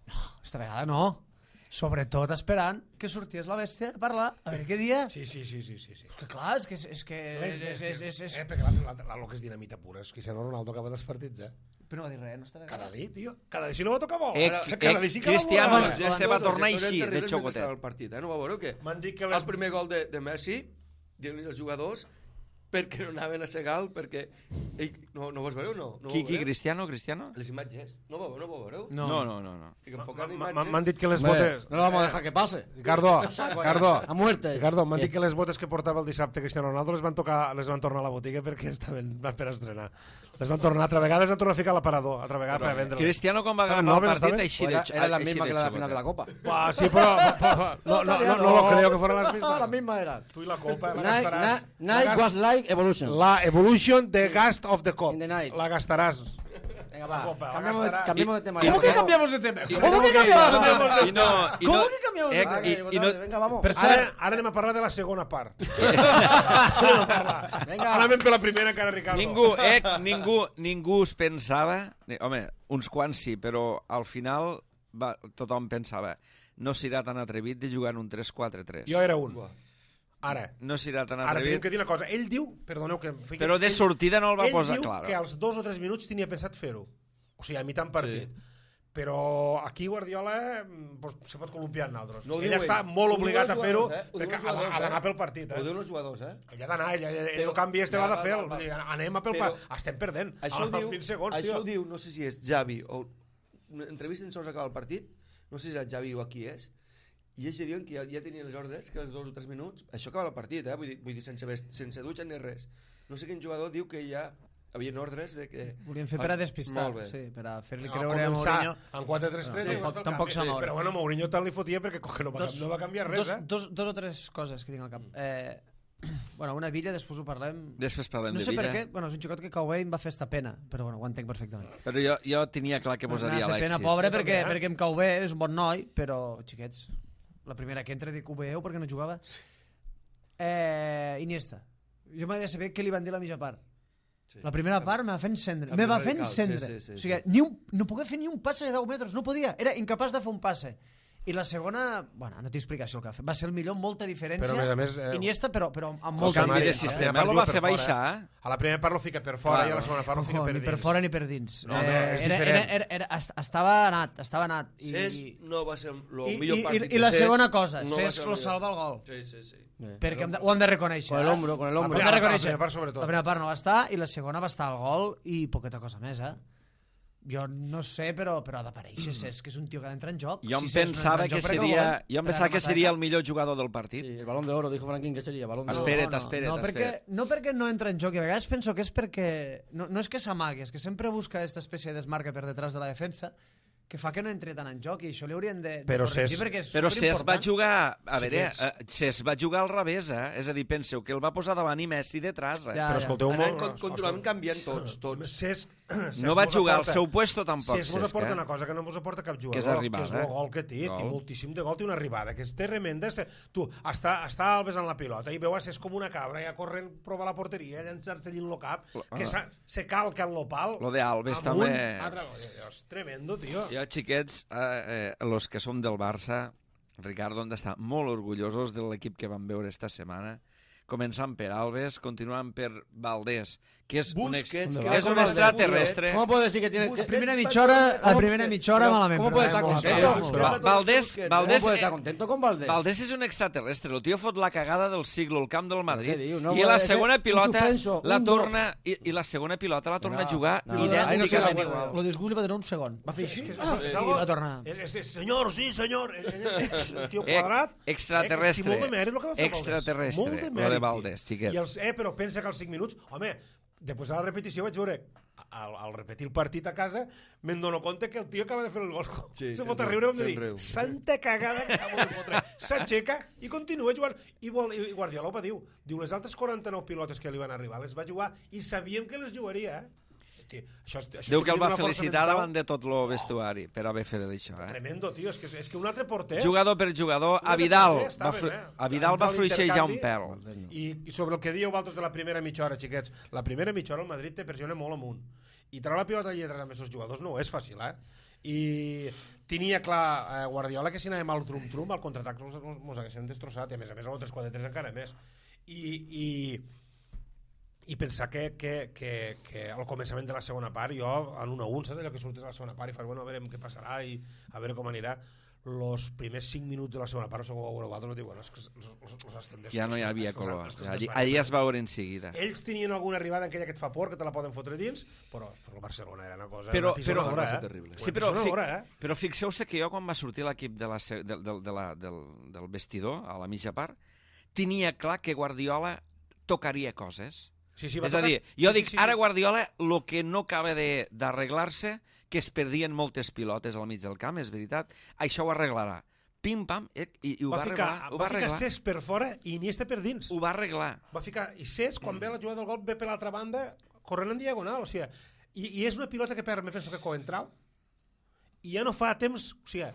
No, esta vegada no. Sobretot esperant que sorties la bèstia a parlar, a veure què dia. Sí, sí, sí, sí, sí, sí. Que clar, és que... És, que és, és, és, és, és, Eh, perquè la, la, la, lo que és dinamita pura és Cristiano Ronaldo acaba dels partits, eh? Però no va dir res, no esta vegada. Cada dia, tio. Cada dia si no va tocar bo. Eh, Ara, eh, cada dia sí que va Cristiano volar. ja se va tornar així, de Terribles xocotet. mentre estava el partit, eh? No va veure que M'han dit que el les... primer gol de, de Messi, dient-li als jugadors perquè no anaven a segar perquè... Ei, no, no vols veure o no? no Qui, ho qui, veureu? Cristiano, Cristiano? Les imatges. No ho, no ho veureu? No. No, no, no. no. Que enfocant M'han imatges... m'han dit que les Hombre, botes... no lo vamos a dejar que pase. Ricardo, Ricardo, A muerte. Ricardo, m'han ¿Qué? dit que les botes que portava el dissabte Cristiano Ronaldo les van tocar, les van tornar a la botiga perquè estaven per estrenar. Les van tornar altra vegada, les van tornar a ficar a l'aparador, altra vegada per vendre-les. Cristiano quan va Estaven agafar el noves, partit estaven? així Pues de era, era la així misma de que la de la xocotet. final de la Copa. Ah, sí, però, però no, no, no, no lo creo que fueran las mismas. La misma era. Tu i la copa la Night, gastaràs. night, La night gas- was like evolution. La Evolution de Gast of the Cop. In the night. La gastaràs. Venga, la va. copa, la Cambiamos, de, gastarás. cambiemos de tema. ¿Cómo ya, que por favor. cambiamos de tema? Y ¿Cómo tenemos que que ir, cambiamos de va, tema? va, I no, i Com no, que canviamos de eh, tema? Va, i, que i no, Venga, vamos. Per Ara, cert, ara anem a parlar de la segona part. Anem a parlar. Venga. Ara anem per la primera encara, Ricardo. ningú, eh, ningú, ningú es pensava... ni- Home, uns quants sí, però al final va, tothom pensava no serà tan atrevit de jugar en un tres quatre tres. Jo era un. Buah. Ara. No serà tan Ara tenim atrevit, que dir una cosa. Ell diu, perdoneu que em fiqui... però de ell- sortida no el va ell posar diu clar. que als dos o tres minuts tenia pensat fer-ho. O sigui, a mitjà partit. Sí. Però aquí Guardiola pues, se pot columpiar en altres. No ho ell diu està ell. molt Ho diuen obligat a els fer-ho jugadors, eh? Ho perquè diuen els ha jugadors, ha d'anar eh? pel partit. Ho Eh? diuen els jugadors, eh? Ell ha d'anar, ell, ell, ell Però- el canvi este Ja, l'ha de va, fer. va, va. Vull dir, Anem a pel Però- partit. Estem perdent. Això ho als diu, vint segons, això tio. ho diu, no sé si és Javi o... Una entrevista en sols acaba el partit, no sé si és el Javi o a qui és, i ells ja diuen que ja, ja tenien les ordres, que als dos o tres minuts, això acaba el partit, eh? vull dir, vull dir sense, vest, sense dutxa ni res. No sé quin jugador diu que ja havien ordres de que... volien fer per a despistar, Molt bé. sí, per a fer-li No, creure a començar Mourinho. en quatre tres tres Sí, i tampoc- vas fer el tampoc canvi. s'ha moure. Però bueno, Mourinho tant li fotia perquè com que no va, Dos- no va canviar res, dos, eh? dos, dos o tres coses que tinc al cap. Eh, bueno, una Villa, després ho parlem. Després parlem No de sé per Villa. què, bueno, és un xicot que cau bé i em va fer esta pena, però bueno, ho entenc perfectament. Però jo, jo tenia clar que posaria M'ha fet Alexis. pena, pobre, Jo perquè, també, eh? perquè em cau bé, és un bon noi, però, xiquets, la primera que entra dic, ho veieu perquè no jugava? Eh, Iniesta. Jo m'agradaria saber què li van dir a la mitja part. Sí. La primera part me va fer encendre. Canvi Me va fer radical, encendre. sí, sí, sí, o sigui, sí. ni un, no podia fer ni un passe de deu metres, no podia. Era incapaç de fer un passe. I la segona, bueno, no t'he explicació el que va fer. Va ser el millor, molta diferència. Però, a més a més, eh, Iniesta, però, però amb el molta canvi Mari, de a la sistema primera part lo juga va fer per fora, baixar, eh? A la primera part lo fica per fora Clar, i a la segona part lo fica Ojo, per ni dins. per fora ni per dins. No, no, és era, diferent. era, era, era, est- estava anat, estava anat. I, Cesc no va ser el i, millor i, partit i, i la de Cesc, segona cosa, no va Cesc ser lo el millor. salva el gol. Sí, sí, sí. Perquè hem de, ho hem de reconèixer. Con el eh? hombro, con el La hombro. Hem de primera, la reconèixer. primera part sobretot. La primera part no va estar i la segona va estar al gol i poqueta cosa més, eh? Jo no sé, però, però ha d'aparèixer Cesc, que és un tio que ha d'entrar en joc. Jo em Si Cesc no pensava entra en que joc, perquè seria, el volen jo em per pensava que rematar seria cap. el millor jugador del partit. Sí, el balón de oro, dijo Franklin que sería. Balón de oro. Espera't, no, espera't, no, perquè, espera't. no perquè no entra en joc, i a vegades penso que és perquè... No, no és que s'amagui, és que sempre busca aquesta espècie de desmarca per detrás de la defensa que fa que no entri tant en joc i això li haurien de, de Però corregir Cesc- perquè és Però Cesc va superimportant. jugar... A veure, Xiquets. eh, Cesc va jugar al revés, eh? És a dir, penseu que el va posar davant i Messi detrás, eh? Ja. Però escolteu Anem molt... con- continuem canviant tots, tots. Cesc, no va jugar al seu puesto tampoc, Cesc mos aporta eh? una cosa que no mos aporta cap jugador, que és arribada, que és el gol que té, gol. té moltíssim de gol, té una arribada, que és tremenda. Tu, està, està Alves en la pilota i veu a Cesc com una cabra, ja corrent, prova la porteria, llançar-se allí en lo cap, que ah. se calca en lo pal. Lo de Alves amunt, també... Altre... És tremendo, tio. Jo, xiquets, eh, eh, los que som del Barça, Ricardo, han d'estar molt orgullosos de l'equip que vam veure esta setmana, començant per Alves, continuant per Valdés, que és Busquets, un, que és un extraterrestre. ¿Cómo puede decir que tiene... La primera mitja hora, la primera mitja hora malament. ¿Cómo puede estar contento? Però Valdés, ¿Cómo Valdés, puede estar contento con Valdés? Valdés és un extraterrestre. El tio fot la cagada del siglo al camp del Madrid Què diu? No, i la és segona un pilota suspenso, la un torna i, i la segona pilota la torna No, a jugar no, Ahí no idènticament sé la igual. Lo disgust li va durar un segon. Va fer així És que és- ah, és i algo- va tornar. És, és, és, senyor, sí, senyor. És un tio Eh, quadrat. extraterrestre. Eh, molt de mèrit el que va fer Valdés. Extraterrestre, Molt de lo mèrit, de Valdés, tio. xiquets. I els, eh, però pensa que als cinc minuts... Home, després de la repetició vaig veure al, al repetir el partit a casa me'n dono compte que el tio acaba de fer el gol. Sí, se se'n fot a riu, riure i em se'n dir, riu. santa cagada que acabo de fotre. S'aixeca i continua jugant. I, vol, I Guardiola ho va diu. Diu, les altres quaranta-nou pilotes que li van arribar les va jugar i sabíem que les jugaria, eh? Tio, això, això Diu que el va una força felicitar mental davant de tot el vestuari per haver fet això. Eh? Tremendo, tio. És que, és que un altre porter... Jugador per jugador, Un a altre Vidal porter va, estava fru... bé. a Vidal va Entrar fluixejar un l'intercanvi. pèl. I, I sobre el que dieu vosaltres de la primera mitja hora, xiquets, la primera mitja hora el Madrid te pressiona molt amunt. I treure la pilota a lletres amb aquests jugadors no és fàcil, eh? I tenia clar eh, Guardiola que si anàvem al trum-trum, al contraatac mos, mos haguessin destrossat, i a més a més a l'altres quatre tres encara més. I, i, i pensar que, que, que, que al començament de la segona part, jo en un a un, saps allò que surtes a la segona part i fas, bueno, a veure què passarà i a veure com anirà. Los primers cinc minuts de la segona part, segur que ho veureu vosaltres, diu, bueno, és que els, els, els estem destrossant. Ja no hi havia és que els- color. és que els Allí, desfaran. allí es va veure en seguida. Ells tenien alguna arribada en aquella que et fa por, que te la poden fotre dins, però, però el Barcelona era una cosa... Però, una però, pisonadora, ser eh? terrible. sí, però, Una fi, pisonadora, eh? però fixeu-se que jo quan va sortir l'equip de la, se- del, del, de la, del, del vestidor a la mitja part, tenia clar que Guardiola tocaria coses. Sí, sí, va És a tocar- dir, jo sí, dic, sí, sí. ara Guardiola, el que no acaba de- d'arreglar-se, que es perdien moltes pilotes al mig del camp, és veritat, això ho arreglarà. Pim-pam, i, i, i ho va, va ficar, arreglar. Ho va va ficar arreglar. Cesc per fora i Iniesta per dins. Ho va arreglar. Va ficar, i Cesc, quan ve la jugada del gol, ve per l'altra banda, corrent en diagonal, o sigui, i, i és una pilota que perd, me penso que Coentrao, i ja no fa temps, o sigui,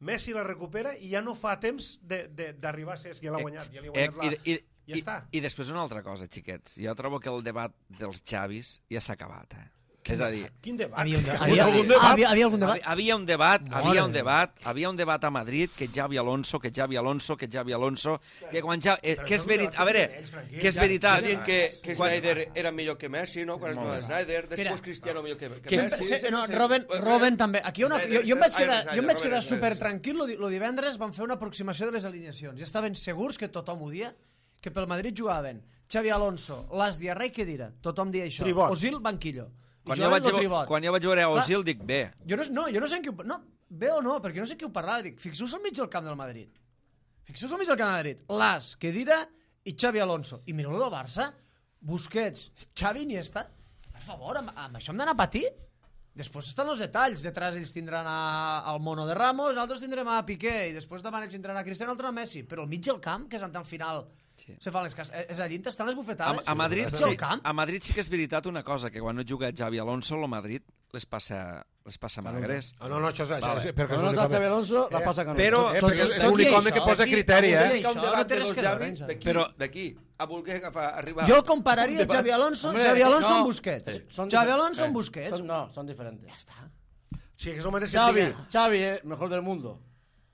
Messi la recupera i ja no fa temps d'arribar a Cesc, ja l'ha guanyat, ja li ha guanyat la... I, i, ja i, està. I després una altra cosa, xiquets. Jo trobo que el debat dels Xavis ja s'ha acabat, eh? És a dir, Quin debat? Havia un, de... Hi havia, algun debat? havia, havia algun debat? Havia, havia un debat, Mare havia un de debat, havia un debat a Madrid que Xavi Alonso, que Xavi Alonso, que Xavi Alonso, que quan ja, eh, Però que això és és un veritat, debat a veure, que tenen ells, Franquí. que és Ja- veritat. Ja diuen que, que Quan- Snyder era millor que Messi, no? Quan Molt no, bé. Snyder, després Mira, Cristiano millor que, que Que, Messi. se, no, sempre- Robin, sempre- Robin també. Aquí una, jo, jo em vaig Snyder, quedar, jo em vaig Snyder, quedar Snyder, super Snyder. tranquil. Lo, di- lo divendres van fer una aproximació de les alineacions. Ja estaven segurs que tothom ho dia, que pel Madrid jugaven Xavi Alonso, Las Diarra i Kedira. Tothom dia això. Tribot. Osil, banquillo. I Quan jo, jugaven vaig, lo Tribot. quan jo vaig veure a Clar. Osil, dic, bé. Jo no, no, jo no sé en qui ho... No, bé o no, perquè no sé qui ho parlava. Dic, fixeu-vos al mig del camp del Madrid. Fixeu-vos al mig del camp del Madrid. Las, Kedira i Xavi Alonso. I mireu-lo del Barça. Busquets, Xavi, Iniesta. Per favor, amb, amb això hem d'anar a patir? Després estan els detalls. Detrás ells tindran a, al Mono de Ramos, nosaltres tindrem a Piqué, i després davant ells tindran a Cristiano, altre a Messi. Però al mig del camp, que és al final... Sí. Se fan les cas... És a dir, estan les A, bufetades. a, Madrid, Al mig sí, del camp. a Madrid sí que és veritat una cosa, que quan no juga Xavi Alonso, el Madrid les passa, les passa magres. Ah, no, no, això és... Això Vale. és perquè és Quan no l'únic està Xavi home- Alonso, la Eh, passa Canut. però- Eh, Tot- perquè és tot i l'únic això, home que posa Aquí, criteri, avui eh? hi ha un Això no debat té de res dos que veure, llavis Àngel. d'aquí, Però- d'aquí, a voler agafar, arribar... Jo compararia un debat. Xavi Alonso, Hombre, Xavi Alonso no. amb Busquets. Son Xavi difer- Alonso eh, amb Busquets. son- no, son diferentes. Ya está. Sí, que és el mateix que Xavi, et digui. Xavi es mejor del mundo,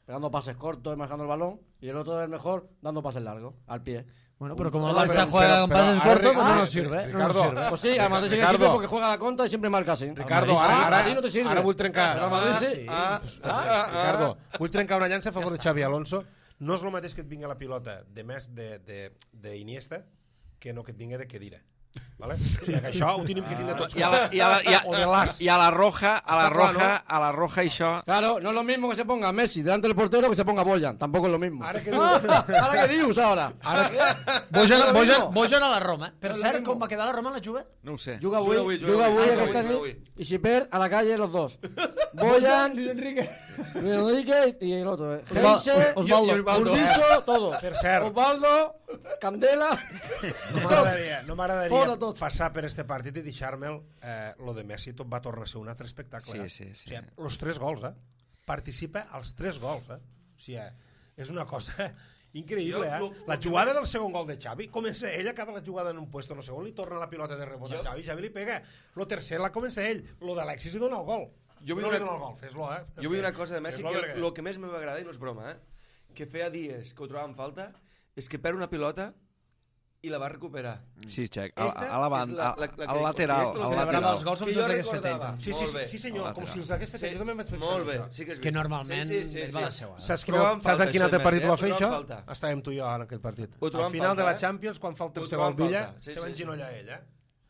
pegando pases cortos y manejando el balón, y el otro es el mejor dando pases largos, al pie. Bueno, pero como el Pero- Barça pero- juega con pero pases ahora- cortos, pues no ah, nos sirve. No nos Ricardo, sirve. Pues sí, al Madrid sí que Ricardo. sirve porque juega a la contra y siempre marca así. Ricardo, Al Madrid sí, ara, a ti no te sirve. ara vull trencar... Pero al Madrid sí. Ah, ah, ah, Ricardo, vull trencar una llança a favor de Xavi Alonso. No és el mateix que et vingui la pilota de més de, de, de Iniesta que no que et vingui de Kedira. Vale? O sigui, que això ho tenim que tindre tots I a la, i a la, i a, o de l'As. i a la roja, a la Està clar, roja, no? a la roja això... Claro, no es lo mismo que se ponga Messi delante del portero que se ponga Boyan. Tampoco es lo mismo. Ara que diu... Ahora que dius, ahora. Bojan, No, Bojan, no. Bojan a la Roma. Per No, cert, no. com va quedar la Roma en la Juve? No ho sé. Juga Juga avui, avui, juga juga avui. avui Ah, aquesta juga nit avui. y si per a la calle los dos. Boyan, Luis Enrique. Enrique y el otro. eh. Osva- Heinze, Osvaldo. I- i Osvaldo. Urbiso, todos. Per cert. Osvaldo, Candela, No m'agradaria, no m'agradaria. Fora tot. tot. passar per este partit i deixar-me'l, eh, lo de Messi tot va tornar a ser un altre espectacle. Sí, eh? sí, sí. O sigui, els tres gols, eh? Participa als tres gols, eh? O sigui, és una cosa increïble, eh? Jo, lo- La lo que jugada més- del segon gol de Xavi, comença ell, acaba la jugada en un puesto, no segon, li torna la pilota de rebot a Jo- Xavi, Xavi li pega. Lo tercer la comença ell, lo d'Alexis li dona el gol. Jo vull no una- li dona el gol, fes-lo, eh? Jo vull dir una cosa de Messi, Fes-lo que perquè- el que més m'agrada, i no és broma, eh, que feia dies que ho trobava en falta, és que perd una pilota i la va recuperar. Sí, Xec, a, Esta a la és banda, la- la- la al que- lateral, aquesta és la al que Celebrava lateral. els gols com Que si jo els hagués fet ell. recordava. també. Sí, sí, Molt sí, bé. sí, senyor, Al com si lateral. els hagués fet ell. Jo també vaig pensar Molt bé, això. sí que és Que veritat. normalment sí, sí, sí, ell sí. va a la seua. Saps, qui, Trobàvem saps falta, en quin això altre de partit Messi, va eh? fer Ho això? trobàvem falta. Estàvem tu i jo en aquell partit. Ho Al trobàvem final de falta, la eh? Champions, quan fa el Ho tercer trobàvem gol Villa, falta, sí, se va sí, sí. enginollar ell, eh?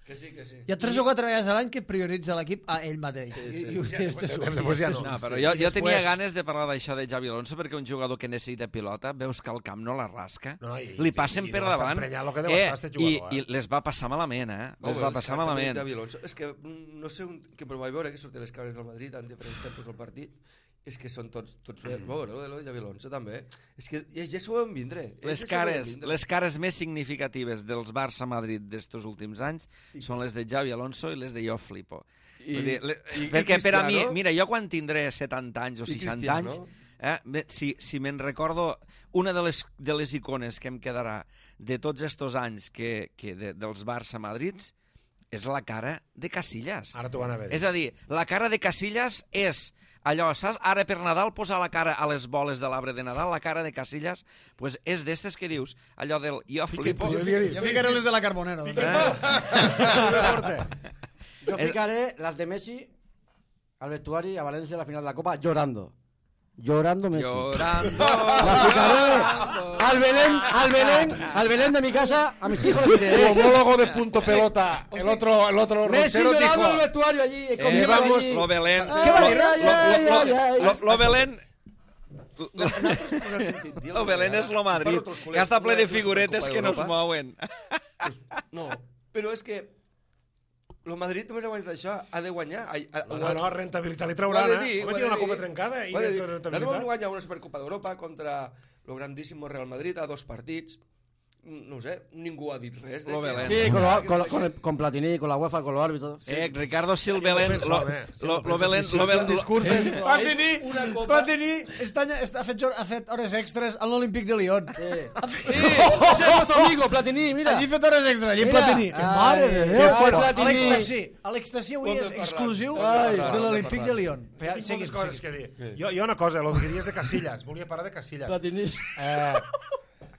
Que sí, que sí. Hi ha tres o quatre vegades a l'any que prioritza l'equip a ell mateix. Sí, sí. I, i, i este surt. Després ja i no. este No, surt. però Sí, jo, i jo després- tenia ganes de parlar d'això de Xavi Alonso perquè un jugador que necessita pilota, veus que al camp no la rasca, No, no, i- li passen i per deu estar davant emprenyat lo que deu estar este i, jugador, eh? i les va passar malament, eh? Oh, Les bé, va les passar cares també de malament. Xavi Alonso. És que mm, no sé un, que però vaig veure que sortien les cares del Madrid en diferents tempos del partit, és que són tots, tots bé. Mm. Veure, lo de Xavi Alonso també. És que ja, ja s'ho vam vindre. Les cares, les cares més significatives dels Barça-Madrid d'estos últims anys són les de Xavi Alonso i les de jo flipo. I- Vull dir, le, i- i perquè per a mi, Cristiano? mira, jo quan tindré setanta anys o I seixanta Cristiano? anys, eh, bé, si, si me'n recordo, una de les, de les icones que em quedarà de tots estos anys que, que de, dels Barça-Madrids és la cara de Casillas. Ara t'ho van a veure. És a dir, la cara de Casillas és allò, saps? Ara per Nadal posar la cara a les boles de l'arbre de Nadal, la cara de Casillas, pues és d'estes que dius, allò del jo flipo. jo havia dit. Jo ficaré les de la Carbonero. doncs. Yo fijaré las de Messi al vestuario a Valencia a la final de la Copa llorando. Llorando Messi. Llorando. La fijaré al Belén, al Belén, al Belén de mi casa, a mis hijos les Tu diré. homólogo de punto pelota, el otro, el otro Messi Roncero llorando en el dijo... vestuario allí, Eh, conmigo vamos, allí. lo Belén. ¿Qué va a decir? Lo- Ay, lo- ay, lo- ay, ay. lo- Lo Belén... Nosaltres no ha sentit dir Lo Belén és lo Madrid, que està ple de figuretes que no es mouen. No, però és que el Madrid només ha guanyat això, ha de guanyar. Ha, ha, No, no, rentabilitat li ho ha trauran, de eh? dir, Home, ho ha tiene de una dir. copa trencada i Ho ha de dir. dentro de Nosaltres vam rentabilitat. guanyar una Supercopa d'Europa contra el grandísimo Real Madrid a dos partits. No ho sé, ningú ha dit res. De Lo que- Belén. Sí, con, lo- que con, no sé con, què. el- con Platini, con la UEFA, con los árbitros. Eh, Ricardo, si el Belén... Lo, home, sí, lo, penso, lo Belén... sí, sí, Lo sí, Belén... el discurs és... Platini, Una copa. Platini està, està, ha, fet, jor- ha fet hores extres a l'Olímpic de Lyon. Sí. Sí, ese es nuestro amigo, Platini, mira. Allí ha fet hores extres, allí Mira. Platini. Que Ai, mare de que Déu. fue Bueno, Platini. l'Extasí. L'Extasí avui Ho hem de és parlar, exclusiu ho hem de parlar, de ho hem de l'Olímpic de parlar. Lyon. Tinc moltes Seguim, coses seguim. que dir. Jo, jo una cosa, el que diries de Casillas, volia parlar de Casillas. Platini. Eh,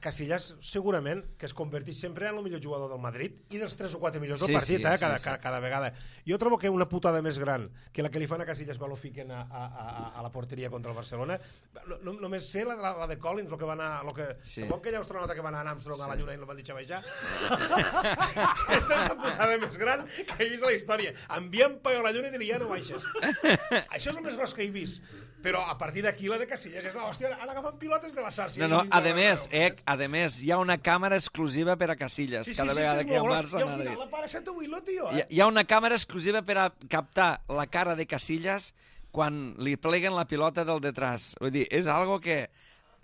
Casillas segurament que es converteix sempre en el millor jugador del Madrid i dels tres o quatre millors del Sí, partit, sí, eh, sí, cada, sí. cada, cada vegada. Jo trobo que una putada més gran que la que li fan a Casillas quan lo fiquen a, a, a, a la porteria contra el Barcelona, no, no, només sé la, la, la de Collins, lo que va anar, lo que, Sí. sí. aquella astronauta que va anar a Armstrong sí. a la Lluna i no van deixar baixar. Aquesta és la putada més gran que he vist a la història. Enviem paio a la Lluna i dir, ja no baixes. Això és el més gros que he vist. Però a partir d'aquí la de Casillas és l'hòstia, han agafat pilotes de la Sàrcia. No, no, a més, eh, a més, hi ha una càmera exclusiva per a Casillas, Sí, sí, cada sí, vegada és que hi ha un molt Barça gros. I al Madrid. final la para set Willow, tio, Hi, eh? hi ha una càmera exclusiva per a captar la cara de Casillas quan li pleguen la pilota del detrás. Vull dir, és algo que...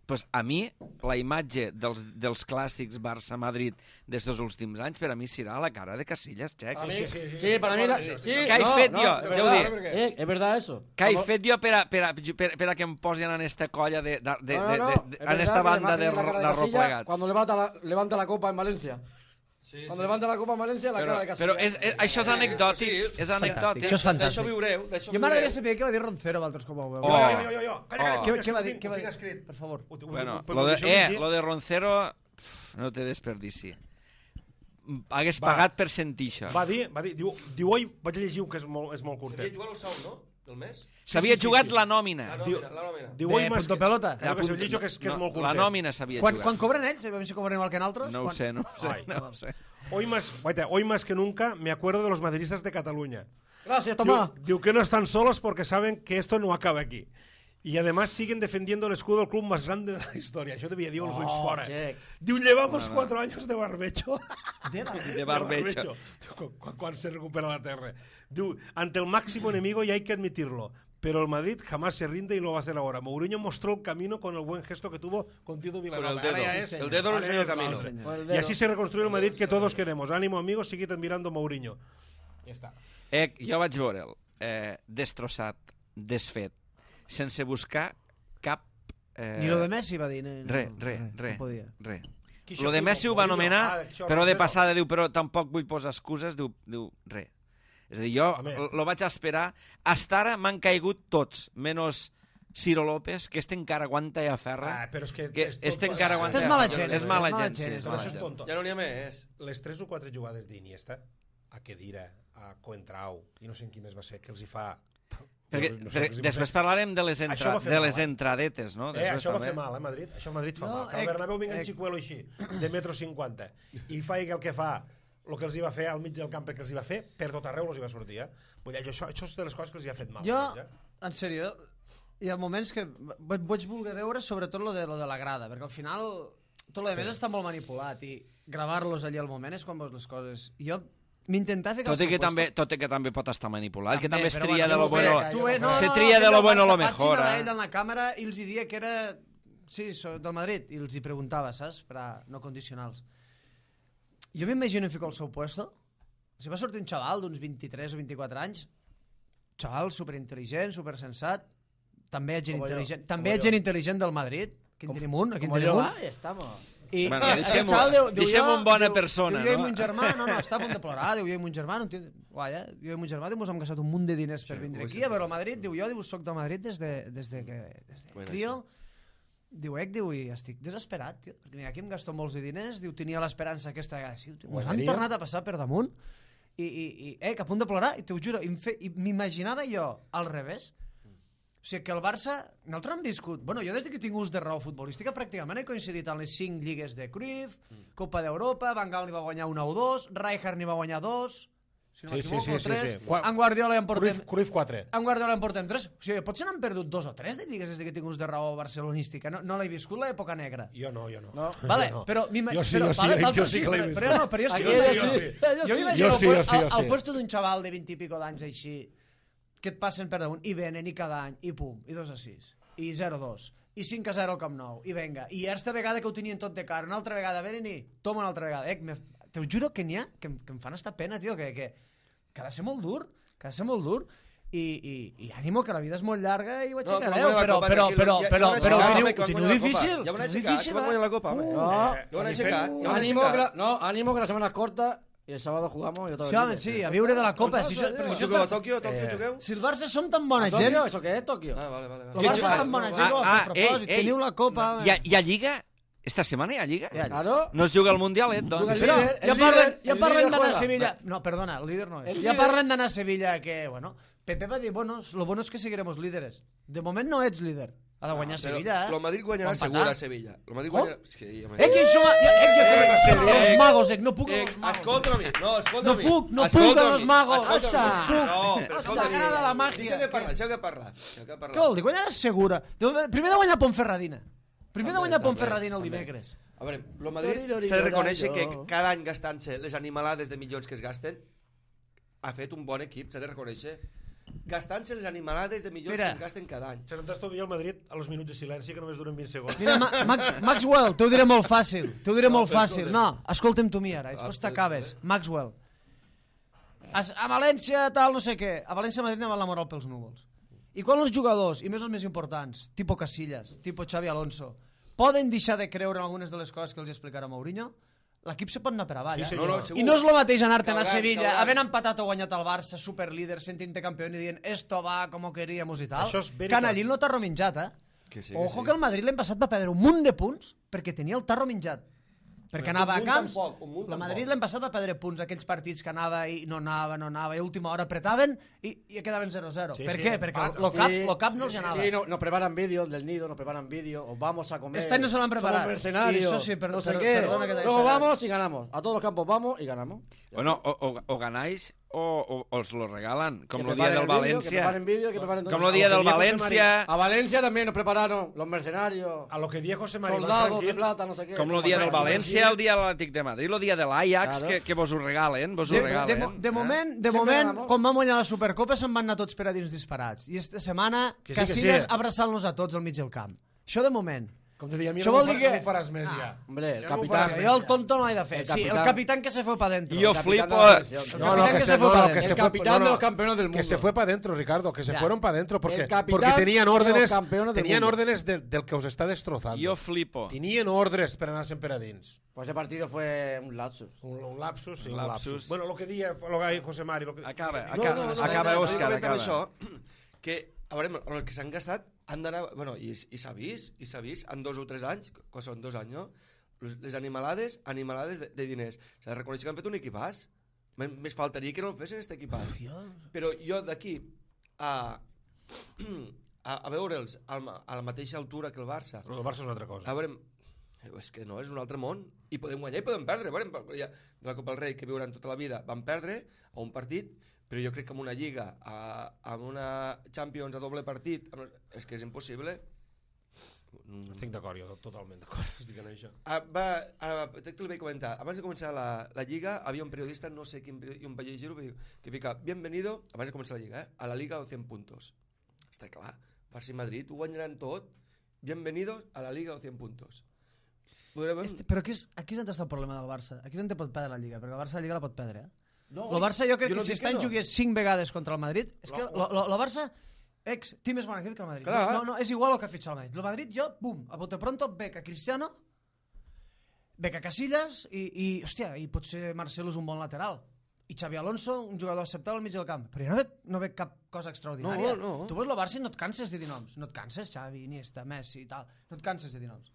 Pues a mi, la imatge dels, dels clàssics Barça-Madrid d'estos últims anys, per a mi serà la cara de Casillas, Xec. Para mí, sí, sí, sí, sí, para mí, la, sí, sí, Què he no, fet no, jo? de Deu verdad, dir. eh, es verdad eso. Què he Como- fet jo per a, per, a, per, per a que em posin en esta colla de, de, de, No, no, de, no, de, es de, verdad en esta que banda la de, imagen la cara de Casillas arroplegats? Cuando levanta la, levanta la copa en Valencia. Sí, Cuando levanta la copa en Valencia, la Però, cara de Casillas. però és, és, això és anecdòtic, Sí, és anecdòtic. Això és fantàstic. D'això viureu, d'això Jo m'agradaria viureu. saber què va dir Roncero, vosaltres com ho veu. Oh. Jo, jo, jo, jo. Calla, calla, Oh. Què, que què va ho dir? tinc- Què ho va tinc dir? escrit. Per favor. Ho- ho- Bueno, ho- lo de, deixeu eh, llegir. lo de Roncero pf, no té desperdici. Hagués Va. pagat per sentir això. Va dir, va dir, diu, diu oi, vaig llegir un que és molt, és molt S'havia curtet. jugat el sou, no? Del mes? S'havia sí, sí, jugat sí. la nòmina. La nòmina, la nòmina. Diu, De oi, més punto que- pelota. Creo que s'ho llegeixo que és, que és No, molt la curtet. nòmina s'havia Quan, jugat. quan cobren ells, sabem si cobren igual que nosaltres? No ho Quan- sé, no ho sé. Ai. No ho sé. Hoy más, guaita, hoy más que nunca me acuerdo de los madridistas de Cataluña. Gracias, Diu, Tomás. diu que no están solos porque saben que esto no acaba aquí. Y además siguen defendiendo el escudo del club más grande de la historia. Això devia dir els ulls Oh, fora. check. Diu, llevamos cuatro años de barbecho. De la- De barbecho. Diu, cu- cu- Quan se recupera la terra. Diu, ante el máximo enemigo y hay que admitirlo. pero el Madrid jamás se rinde y lo va a hacer ahora. Mourinho mostró el camino con el buen gesto que tuvo con Tito Vilanova. Con el dedo. Ahora ya es- El dedo no ahora enseña el es- camino. señor. Y así se reconstruye el Madrid que todos queremos. Ánimo, amigos, seguid admirando Mourinho. Ja està. Eh, jo vaig veure'l eh, destrossat, desfet, sense buscar cap... Eh, Ni lo de Messi va dir. No, Re, re, re, No podia. re. Qui Lo de això, Messi ho Mourinho? va anomenar, Ah, això, però de Rosero. passada diu, però tampoc vull posar excuses, diu, diu re. És a dir, jo Home. lo vaig esperar. Hasta ara m'han caigut tots, menys Ciro López, que este encara aguanta i aferra. Ah, però és que... que és tot este pas- encara aguanta. Este és mala i gent, aferra. És este mala és mala gent, sí, gent, és és Però mala això és gent. tonto. Ja no n'hi ha més. Les tres o quatre jugades d'Iniesta, a Kedira, a Coentrao, i no sé en qui més va ser, que els hi fa... Perquè, no sé perquè què els hi va després fer. parlarem de les, Això entra, va fer de mal, les eh? entradetes, no? Eh, Després això va també. fer mal, eh, Madrid? Això a Madrid fa No, mal. Que al ec- Bernabéu vingui un ec- xicuelo així, de metro cinquanta, i faci el que fa, el que els hi va fer al mig del camp que els hi va fer, per tot arreu els hi va sortir, eh? Vull dir, això, això és de les coses que els hi ha fet mal. Jo, eh? en sèrio, hi ha moments que v- vaig voler veure sobretot lo de, lo de la grada, perquè al final tot lo de més està molt manipulat i gravar-los allà al moment és quan veus les coses. I jo m'intentava ficar Tot i, al que seu també, puesto. tot i que també pot estar manipulat, que també es però tria de bueno, lo tu bueno. ve- tu ve- no, se no, tria de aquell lo del bueno a lo Barça mejor. Patxi Eh? ell en la càmera i els hi dia que era... Sí, so- del Madrid. I els hi preguntava, saps? Per a no condicionals. Jo m'imagino ficar al seu puesto. Si va sortir un xaval d'uns vint-i-tres o vint-i-quatre anys, xaval superintel·ligent, supersensat, també gent Como yo, intel·ligent, como també yo. gent intel·ligent del Madrid. Aquí en tenim un, aquí en Como tenim yo, un. ahí estamos. I Bueno, el deixem-ho- xaval diu, diu, deixem-ho jo- en bona diu- persona, diu, jo i no? mon germà, no, no, està a punt de plorar, diu, jo i mon germà, no tinc... Guai, eh? Jo i mon germà, diu, mos hem gastat un munt de diners per Sí, vindre ho aquí sé. a veure el Madrid, diu, jo, diu, soc del Madrid des de, des de que des de Bueno, crio, diu, ec, diu, i estic desesperat, tio, perquè mira, aquí em gasto molts de diners, diu, tenia l'esperança aquesta vegada, sí, tio, mos han Guanyaria. tornat a passar per damunt, i, i, i ec, a punt de plorar, i t'ho juro, i em fe- i m'imaginava jo al revés. O sigui, que el Barça, nosaltres hem viscut... Bueno, jo des que tinc ús de raó futbolística pràcticament he coincidit en les cinc lligues de Cruyff, Copa d'Europa, Van Gaal n'hi va guanyar una o dos, Rijkaard n'hi va guanyar dos, si no Sí, sí, m'equivoco, sí, sí, tres, sí. Qua- en Guardiola en portem... Cruyff, Cruyff quatre. En Guardiola en portem tres. O sigui, potser n'han perdut dos o tres de lligues des que tinc ús de raó barcelonística. No, no l'he viscut l'època negra. Jo no, jo no. No. Vale, Jo no. però... m'ima- Jo sí, però, jo sí, vale, jo vosaltres sí que l'he però- vist. Però no, però jo és que... Aquí jo jo m'imagino- sí. Jo m'imagino Jo sí, jo al- sí, jo al, al sí. puesto d'un xaval de vint i pico d'anys així, que et passen per damunt, i venen, i cada any, i pum, i dos a sis, i zero a dos, i cinc a zero al Camp Nou, i venga, i aquesta vegada que ho tenien tot de cara, una altra vegada venen i toma una altra vegada. Eh, me, te ho juro que n'hi ha que, em- que em fan esta pena, tio, que, que, que ha de ser molt dur, que ha de ser molt dur, i, i, i ànimo, que la vida és molt llarga i ho No, aixecareu, quan guanya la però, Copa, però, tranquil, però, ja- però, ja van però, aixecar, ho teniu, home, que ho van teniu guanyar la Copa. difícil, Ja van ho teniu aixecar, difícil, que van eh? guanyar la Copa, home. Uh, No, Ja van aixecar, ja van ánimo, que aixecar. la, no, ánimo que la semana es corta y el sábado jugamos y otra Sí, vez. home, sí, a viure de la Copa. Si, això, però si, això Jugueu a està, Tòquio, a Tòquio Eh, jugueu? si el Barça som tan bona ¿Tokio? gent, ¿Eso qué es Tokio? Ah, vale, vale. el vale. Barça és tan bona gent, que ho Ah, fa a propòsit. ei, ei. Teniu la Copa... Hi ha, hi ha Lliga? Esta setmana hi ha Lliga? Hi ha Lliga. Claro. No es juga al Mundial, eh? Doncs. Juga el Però líder, el ja líder, parlen, ja el parlen líder d'anar a juega. Sevilla... No, perdona, el líder no és. El Ja líder- parlen d'anar a Sevilla que, bueno... Pepe va dir, bueno, lo bueno es que seguiremos líderes. De moment no ets líder. Ha de guanyar Però Sevilla, eh? El Madrid guanyarà O empatar. segur a Sevilla. El Madrid Com? guanyarà... Sí, home. Eh, que això... Eh, eh, que Eh, los eh, magos, eh, no puc Eh, amb els magos. escolta'm a mi, no, escolta'm a mi. No puc, no puc Escolta'm amb a els mi, magos. escolta'm a mi. Ossa. No, però Ossa, escolta'm. agrada la màgia. Deixa que parlar, deixa que parlar. Deixa que Què parlar. vol dir? Guanyaràs segura. Primer de guanyar Pontferradina. Primer de També, guanyar també, Pontferradina el també. dimecres. A veure, el Madrid Tori, s'ha de tori, reconèixer que tori. cada any gastant-se les animalades de milions que es gasten ha fet un bon equip, s'ha de reconèixer. Gastant-se les animalades de milions Mira. que es gasten cada any. Se n'estàs el Madrid a los minuts de silenci que només duren vint segons. Mira, Ma Max Maxwell, t'ho diré molt fàcil. T'ho diré No, molt però fàcil. escolta'm. No, escolta'm tu mi ara, Ah, després però- t'acabes. Maxwell. A, a València, tal, no sé què. A València, Madrid, anava la moral pels núvols. I quan els jugadors, i més els més importants, tipo Casillas, tipo Xavi Alonso, poden deixar de creure en algunes de les coses que els explicarà Mourinho, l'equip se pot anar per avall, Sí, eh? senyor. No, no, segur. I no és el mateix anar-te'n a Cauran, Sevilla, cauran. havent empatat o guanyat el Barça, superlíder, sentint-te campió i dient esto va como queríamos i tal. Això és veritat. Canallín no t'ha rominjat, eh? Que sí, que Ojo sí. que el Madrid l'any passat va perdre un munt de punts perquè tenia el tarro minjat. Perquè Un anava a munt camps... tampoc, un munt La Madrid tampoc. l'any passat va perdre punts, aquells partits que anava i no anava, no anava, i a última hora apretaven i, i quedaven zero zero. Sí, per sí, què? empat. Perquè lo cap, Sí. lo cap no els anava. Sí, no, nos preparan vídeos del nido, nos preparan vídeos, os vamos a comer. Este año se lo han preparado. Somos mercenarios, Y eso sí, per- no sé per- qué. perdona que te- Luego te- vamos y ganamos. A todos los campos vamos y ganamos. Bueno, o, o, o ganáis o, o, o os lo regalan, com Que el dia preparen del el vídeo, València. Que preparen vídeo, que preparen todo. Com el dia del José València, A Valencia también nos prepararon los mercenarios, A lo que dia José María soldados de plata, no sé qué. com el dia del València, el dia de l'Atlètic de Madrid, el dia de l'Ajax, Claro. que, que vos ho regalen, vos ho De, de, regalen. mo- de eh? moment, de Sempre moment ganamos. com vam guanyar la Supercopa, se'n van anar tots per a dins disparats. I esta setmana, Que sí, que Casillas sí. abraçant-nos a tots al mig del camp. Això de moment. Com te deia, a mi Això no, vol m'ho dir fa- que- no ho faràs més, ja. Hombre, el Ja no ho capitán. faràs Jo el tonto no l'he de fer. El Sí, el capitán- capitán que se fue para adentro. Jo El capitán flipo... de la selección. El No, capitán no, que se fue no, para no, adentro. que se El fue- capitán no, de no, los campeones del Que mundo. se fue para adentro, Ricardo, que se Ya. fueron para adentro, porque, El capitán porque tenían de los órdenes, campeones del tenían mundo. órdenes del, del que os está destrozando. Jo flipo. Tenien ordres per anar sempre a dins. Pues ese partido fue un lapsus. Un, un lapsus, sí, Un un lapsus. lapsus. Bueno, lo que dia lo que José Mari... Lo que... Acaba, No, acaba, no, no, acaba, no, no, Òscar, no, acaba. Això, que, a veure, els que s'han gastat han d'anar... Bueno, i, i s'ha vist, i s'ha vist, en dos o tres anys, que són dos anys, no? Les, les animalades, animalades de, de diners. S'ha de reconèixer que han fet un equipàs. M- Més faltaria que no el fessin, aquest equipàs. Però jo d'aquí a, a, a veure'ls a la, a la mateixa altura que el Barça, El Barça és una altra cosa. a veure, és que no, és un altre món. I podem guanyar i podem perdre. Veurem, ja, de la Copa del Rei, que viuran tota la vida, van perdre a un partit, però jo crec que amb una Lliga, a, amb una Champions a doble partit, amb, és que és impossible. Mm. Estic d'acord, jo totalment d'acord. Estic en això. Ah, va, ah, te te ho vaig comentar. Abans de començar la, la Lliga, havia un periodista, no sé quin periodista, un llegir-ho, que fica, bienvenido, abans de començar la Lliga, eh, a la Liga de cent puntos. Està clar, Barça i Madrid ho guanyaran tot. Bienvenidos a la Liga de cent puntos. Podrem... Este, però aquí és, aquí és on està el problema del Barça. Aquí és on te pot perdre la Lliga, perquè el Barça la Lliga la pot perdre. Eh? No, el Barça jo crec jo no que si dic està que en no. jugués cinc vegades contra el Madrid, és que el Barça ex, té més bona que el Madrid. Clar. No, no, és igual el que ha fitxat el Madrid. El Madrid jo, bum, a bote pronto, bec a Cristiano, bec a Casillas i, i, hòstia, i potser Marcelo és un bon lateral. I Xavi Alonso, un jugador acceptable al mig del camp. Però jo no veig, no veig cap cosa extraordinària. No, no. Tu veus el Barça i no et canses de dir noms. No et canses, Xavi, Iniesta, Messi i tal. No et canses de dir noms.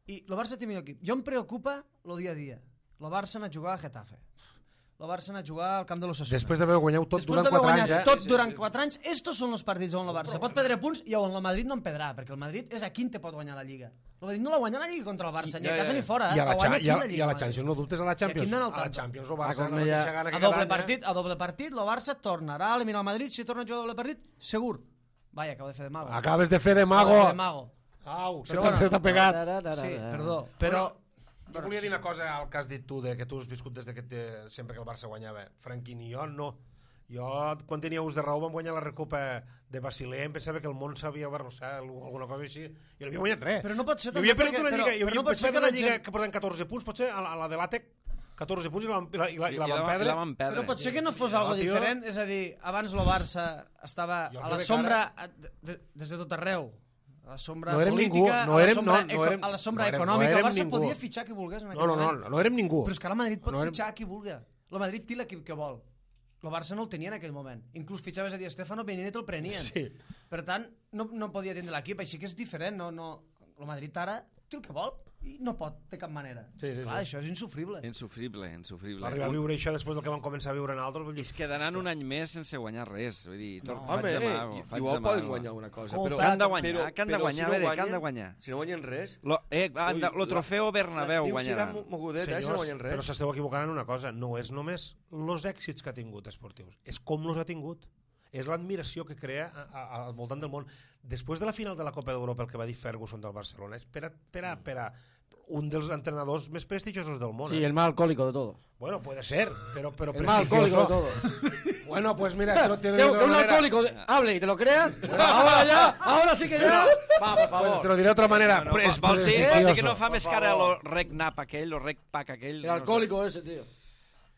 I el Barça té millor equip. Jo em preocupa el dia a dia. El Barça anar a jugar a Getafe. El Barça anar a jugar al camp de l'Osasuna. Després d'haver guanyat tot Després durant d'haver quatre anys, guanyat eh? tot Sí, sí, durant sí. quatre anys, estos són els partits on el Barça pot perdre punts i on el Madrid no en perdrà, perquè el Madrid és a quin te pot guanyar la Lliga. El Madrid no la guanya la Lliga contra el Barça, ni a ja, casa ja. ni fora. I a la, la guanya Cha- aquí i a, la i Lliga. a la Madrid. Champions, no dubtes a la Champions. aquí no en el A la tanto. Champions, el Ah, Barça com no deia- deixa gana A que doble cada any, partit, a doble partit, el Barça tornarà a eliminar el Madrid si torna a jugar a doble partit, segur. Vaya, acabo de fer de mago. eh? Acabes de fer de Acabo mago. de fer de mago. Au, se Però t'ha bueno. t'ha pegat. Sí, perdó. Però... Jo volia dir una cosa al que has dit tu, de que tu has viscut des de que te, sempre que el Barça guanyava. Franquín i jo no. Jo, quan tenia ús de raó, vam guanyar la Recopa de Basilea, em pensava que el món s'havia barrossat, alguna cosa així. Jo no havia guanyat res. Però no pot ser Jo havia tampoc perdut perquè- una però- lliga, jo però havia no pot no ser que una la lliga gent- que porten catorze punts, potser a la, a la de l'Àtec, catorze punts i la, i la, i la, i la I van la, perdre. I la van perdre. Però potser que no fos No, algo tio. diferent, és a dir, abans el Barça estava Jo a la crec que sombra a- de, de, des de tot arreu. A la sombra No érem política, ningú, no a, la érem- sombra no, no eco- érem- a la sombra no érem- no econòmica. érem el Barça ningú. podia fitxar qui volgués en aquell No, no, no, moment. no érem ningú. Però és que ara el Madrid pot No érem- fitxar qui vulgui. El Madrid té l'equip que vol. El Barça no el tenia en aquell moment. Inclús fitxaves a Di Stéfano, venien i te'l prenien. Sí. Per tant, no, no podia tindre l'equip, així que és diferent. No, no... El Madrid ara té el que vol i no pot de cap manera. Sí, sí, Clar, sí. això és insufrible. Insufrible, insufrible. Va arribar a viure això després del que van començar a viure en altres. Vull dir, Es quedaran un any més sense guanyar res. Vull dir, no, Home, faig de eh, mago, i- faig igual de poden mago. guanyar una cosa. Com Però, Que han de guanyar, però- que han de però guanyar, si a no veure, que guanyen, han de guanyar. Si no guanyen res... Lo, eh, han de, Ui, lo trofeu la- Bernabéu l'estiu guanyaran. serà mogudet, eh, si no senyors, guanyen res. però s'esteu equivocant en una cosa. No és només els èxits que ha tingut esportius, és com los ha tingut. És l'admiració que crea a, a, al voltant del món. Després de la final de la Copa d'Europa, el que va dir Ferguson del Barcelona, és per a, per a, per a un dels entrenadors més prestigiosos del món. Sí, eh? el más alcohólico de todos. Bueno, puede ser, pero, pero El más alcohólico de prestigioso. todos. Bueno, pues mira, te lo, te lo Que digo de que un otra manera. alcohólico de- hable y te lo creas. Ahora ya, ahora sí que ya. Va, por Pues favor. te lo diré de otra manera. No, no, es vols dir, prestigioso. vols dir que no fa més cara lo rec nap aquell, lo rec pack aquell? El alcohólico ese, tío.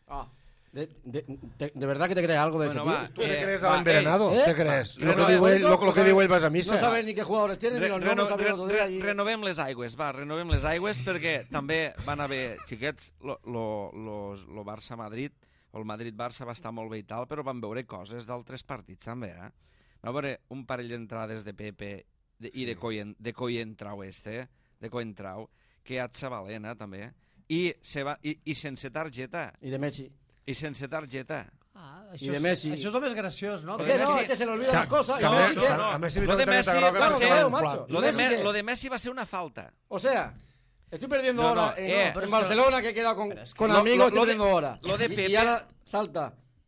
Ah, de, de, de, de verdad que te crees algo de Bueno, ese tío. va. ¿Tú te Eh, crees va, al envenenado? ¿eh? ¿Te crees? Va, Lo que reno- digo él- lo, lo no que digo él sabe- vas a misa. No sabes ni qué jugadores tienen, ni Re, los reno, nombres, sabía el re, otro día. re, y- renovem les aigües, va, renovem les aigües perquè també van haver, xiquets, lo, lo, los, lo Barça-Madrid, o el Madrid-Barça va estar molt bé i tal, però van veure coses d'altres partits també, eh? Va veure un parell d'entrades de Pepe de, i de, Coyen, de Coyentrau este, de Coyentrau, que et Sabalena també, i, se va, i, i sense targeta, Y de Messi. i sense targeta. Ah, I això, de és, Messi. això és el més graciós, no? Es de que no, Messi- es que se le olvidan Que- las cosas. que Y a Messi, Messi- ¿qué? a Messi li Lo de toca Messi targeta groga va perquè ser- va macho. inflat. Lo de, Messi Me, qué? lo de Messi va ser una falta. O sea, estoy perdiendo No, no, horas en, eh, en pero es Barcelona, que he quedado con, pero es que con lo- amigos, lo- estoy lo de- perdiendo horas. lo de Y- Pepe- Y ahora salta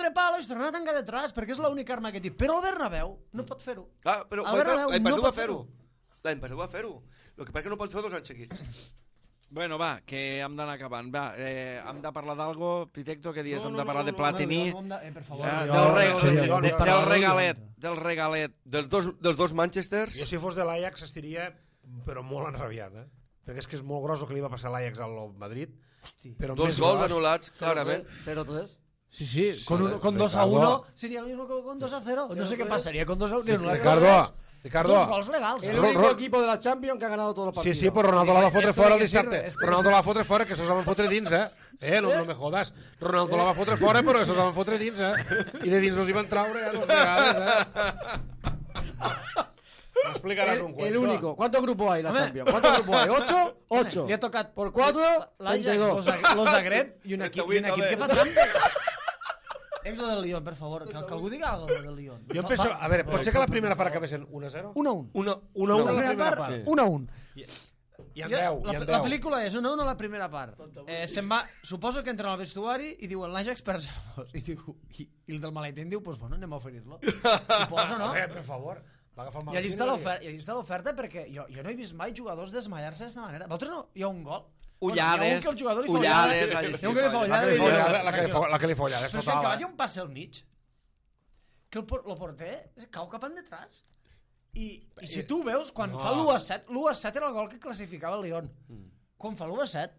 fotre palos i tornar a tancar detrás, perquè és l'única arma que té. Però el Bernabéu no pot fer-ho. Ah, però El Bernabéu l'any no passat pot va fer-ho. L'any passat va fer-ho. El que passa que no pot fer dos anys seguits. Bueno, va, que hem d'anar acabant. Va, eh, hem de parlar d'algo, Pitecto, que dius? No, hem no, de parlar no, de no, Platini, No, no, eh, per favor. eh, jo- del, reg sí, del, jo- del, jo- del jo- regalet, del regalet. Dels dos, dels dos Manchesters, Jo si fos de l'Ajax estiria però molt enrabiat, eh? Perquè és que és molt gros el que li va passar a l'Ajax al Madrid. Hosti. Però dos més gols gros. anul·lats, clarament. cero tres. Sí, sí, con, un, con dos a uno sería lo mismo que con dos a cero. No sé qué pasaría con dos a uno. Ricardo, Ricardo. Dos gols legals. El eh? Ro- único Ro- equipo de la Champions que ha ganado todos los Sí, partidos. sí, però Ronaldo la va fotre Esto fora de el que sirve, dissabte. esto de Ronaldo que la va fotre fora, que se la van fotre dins, eh? Eh, no, no me jodas. Ronaldo la va fotre fora, però se la van fotre dins, eh? I de dins els hi van traure ja dos vegades, eh? M'explicaràs El, un cuento. el único. ¿Cuántos grupos hay en la Hombre. Champions? ¿Cuántos grupos hay? ¿Ocho? Ocho. Li ha tocat Por cuatro, treinta y l'Ajax, dos. lo Zagreb i un equip, i un equip que fa trampa. Ex lo del Lyon, per favor, que, que algú diga algo del Lyon. Jo penso, a veure, pot ser que la primera part acabessin un a zero? un a un. Una, una, una, La la primera primera part, part. un a un. I en deu, la, i en la deu. pel·lícula és un a un a la primera part. Eh, se'n va, suposo que entren al vestuari i diuen l'Ajax per zero dos. I, diu, i, I el del maletín diu, pues bueno, anem a oferir-lo. Suposo, no? Eh, per favor, va agafar el I allí maletín està i- l'oferta, i allí està l'oferta perquè jo, jo no he vist mai jugadors desmaiar-se d'aquesta manera. Vosaltres no? Hi ha un gol? Ullades, Bueno, hi ha un que el jugador li fa ullades, ullada. allí Hi sí, ha un que li fa colla. La ullada. que li i diu, follada, la que li "Senyor". fo- la que li follada, és Però és que el que total, vaig eh? un passe al mig, que el, por- lo porter cau cap endetrás. I, I si tu veus, quan No. fa l'u a set, l'u a set era el gol que classificava el Lyon. Quan fa l'u a set,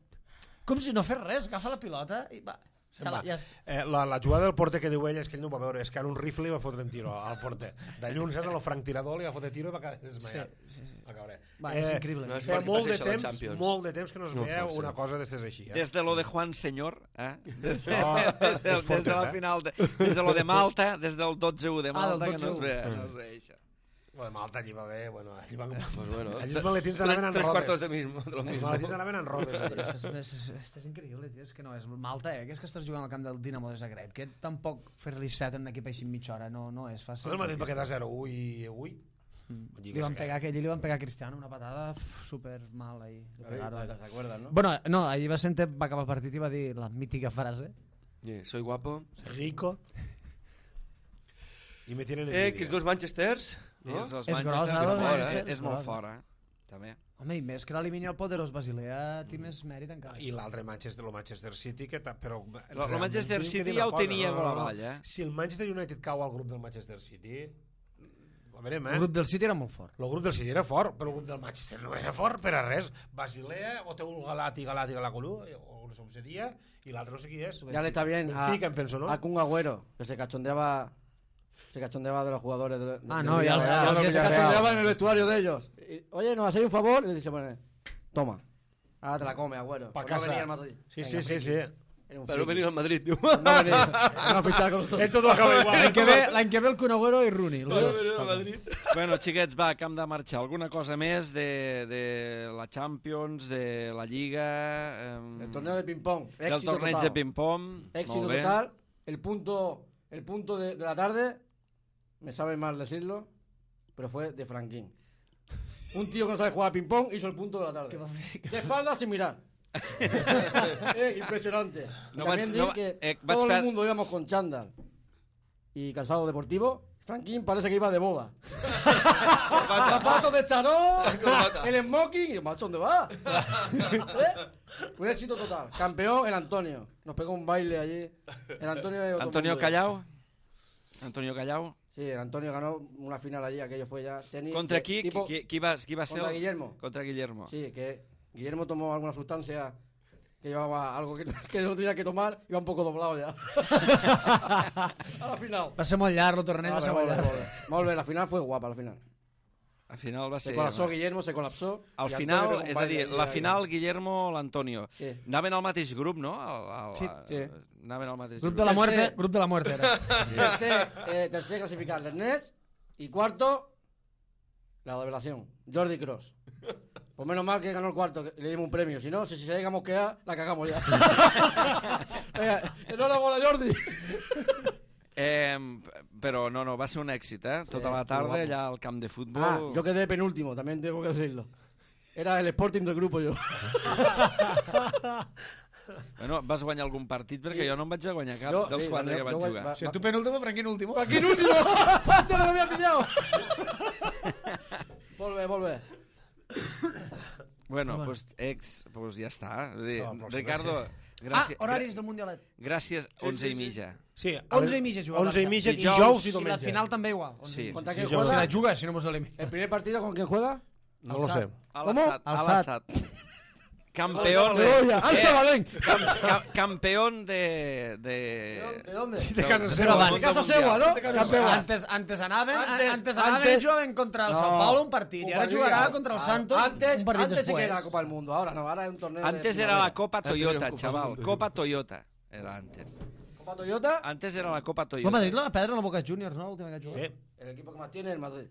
com si no fes res, agafa la pilota i va. Se'n Ja, va. la- ja està. Eh, la, la jugada del porter que diu ell és que ell no ho va veure, és que ara un rifle li va fotre un tiro al porter. De lluny, saps, el franctirador li va fotre tiro i va quedar desmaiat. Sí, sí, sí. Va caure. Va, és increïble. No és Fa perquè molt de passi això a la temps, Champions. molt de temps que no es No veu pot ser. una cosa d'estes així. Eh? Des de lo de Juan Señor, eh? Des de, No, des, de, és des de fortet, la eh? final, de, des de lo de Malta, des del dotze u de Ah, Malta, del que no es dotze u. ve, no es ve això. Lo de Malta allí va bé, bueno, allí van... Pues bueno, Allí els maletins anaven en tres robes. cuartos de, mismo, de lo Els mismo. maletins anaven en robes. allí. Esto és, és, és, és, és increïble, tio. És que no, és Malta, eh? Que és que estàs jugant al camp del Dinamo de Zagreb, que tampoc fer-li set en un equip així en mitja hora no, no és fàcil. El Madrid va quedar zero u i avui. Li van pegar, que allí li van pegar a Cristiano una patada uf, super mal ahí. Le pegaron. ¿Te acuerdas, no? Bueno, no, allí va sentir, va acabar el partit i va dir la mítica frase. Yeah, soy guapo. Rico. I me tienen Eh, envidia. que els dos Manchesters, no? Els És Manchester gros, City, eh, los és- Manchester, és és molt gros. fora, també. Home, i més que l'elimini el poderós Basilea, té més mèrit encara. I l'altre Manchester, el Manchester City, que ta, però... Lo- lo Manchester City ja ho tenia a la vall, eh? Si el Manchester United cau al grup del Manchester City, a veurem, El eh? grup del City era molt fort. El grup del City era fort, però el grup del Manchester no era fort per a res. Basilea, o té un Galati, Galati, Galacolú, o no sé com seria, i l'altre no sé qui és. Ya le está bien a, Benfica, em penso, no? a Kun Agüero, que se cachondeaba se cachondeaba de los jugadores de, de- Ah, del no, ya lo sé, Villarreal. ya lo sé, se Villarreal. cachondeaba en el vestuario de ellos. Y, Oye, ¿nos hacéis un favor? Y le dice, bueno, toma, ahora te la come, Agüero. Pa Por no casa. venir al Madrid. Sí, Venga, sí, sí, friki. sí. Era un Pero friki. venir al Madrid, tío. No venir, no fichar con nosotros. Ell tot ho acaba igual. L'any que ve, l'any que ve el Kun Agüero i Rooney. Els dos. venir al Madrid. Bueno, xiquets, va, que hem de marxar. Alguna cosa més de, de la Champions, de la Lliga... Eh, El torneo de ping-pong. del Éxito torneig total. de ping-pong. Éxito Molt bé. total. El punto, el punto de, de la tarde, me sabe mal decirlo, pero fue de Franquín. Un tío que no sabe jugar a ping-pong hizo el punto de la tarde. De espalda sin mirar. Eh, impresionante. No También vaig- dir no- que eh, vaig todo per- el mundo íbamos con chándal y calzado deportivo. Franquín parece que iba de boda. Zapatos de charol, Corbata. el smoking. Y yo, macho, ¿dónde va? ¿Eh? Un éxito total. Campeón, el Antonio. Nos pegó un baile allí. El Antonio de otro Antonio mundo. Callao. Antonio Callao. Sí, el Antonio ganó una final allí, aquello fue ya tenis. Contra de qui? tipo- Qui, qui, va, qui va ser? Contra el- Guillermo. Contra Guillermo. Sí, que Guillermo tomó alguna sustancia que llevaba algo que, que no tenía que tomar, iba un poco doblado ya. A la final. Va ser molt llarg, el torneig va Vale, ser molt molt bé, llarg. molt bé. Molt bé, la final fue guapa, la final. Al final va Se ser... colapsó Guillermo, se colapsó. Al y final, Antonio pegó un és a baile dir, allí, la allí. final Guillermo, l'Antonio. Sí. Anaven al mateix grup, no? Al, al, Sí. Sí. Anaven al mateix Grup grup. de la muerte, Tercer. grup de la muerte era. Tercer, eh, tercer clasificado, Ernest. Y cuarto, la revelación, Jordi Cross. Pues menos mal que ganó el cuarto, que le dimos un premio. Si no, si, si se llega a mosquear, la cagamos ya. Venga, enhorabuena, Jordi. Eh, però no, no, va ser un èxit, eh? Tota Sí, la tarda guapo. allà al camp de futbol. Ah, yo quedé penúltimo, también tengo que decirlo. Era el Sporting del grupo yo. Bueno, vas guanyar algun partit perquè Sí. jo no em vaig a guanyar cap Jo, dels sí, quatre jo- que vaig jo vaig- jugar. va- Si tu penúltimo, Franquín último. ¡Aquí el último! ¡Hostia, no lo había pillado! Volve, volve. Bueno, Bueno. pues ex, pues ja està. Vull dir, Està, però sí, Ricardo, Ah, gràcies, horaris del Mundialet. gràcies, onze i mitja. Sí, a onze les- i mitja juga el onze i Barça. mitja, Dijous, dijous i I la diumenge. final també igual. Sí. ¿Contra Sí, quién yo- Si juega? la juga, si no mos elimina. ¿El primer partido con quién juega? No lo sé. A ¿Cómo? l'Assad, a Al l'Assad. Campeón de... ¡Gloria! ¡Al Sabadell! Cam- cam- campeón de... de... ¿De dónde? De casa del seva. mundo De casa mundial. seva, ¿no? De casa seva. Antes, antes anaven, Antes- antes, anaven antes- i jugaven contra el No. Sao Paulo un partit, i ara Un jugarà partido. contra el Ah, Santos antes, un partit antes sí que després. era la Copa del Mundo, ahora no, ahora es un torneo Antes de era la primavera. Copa Antes era Toyota, Copa del chaval. Mundo. Copa Toyota era antes. Copa Toyota, Antes era la Copa El Toyota. Madrid la va perdre en la Boca Juniors, no? L'última que ha jugat. Sí. el equipo que más tiene es el Madrid.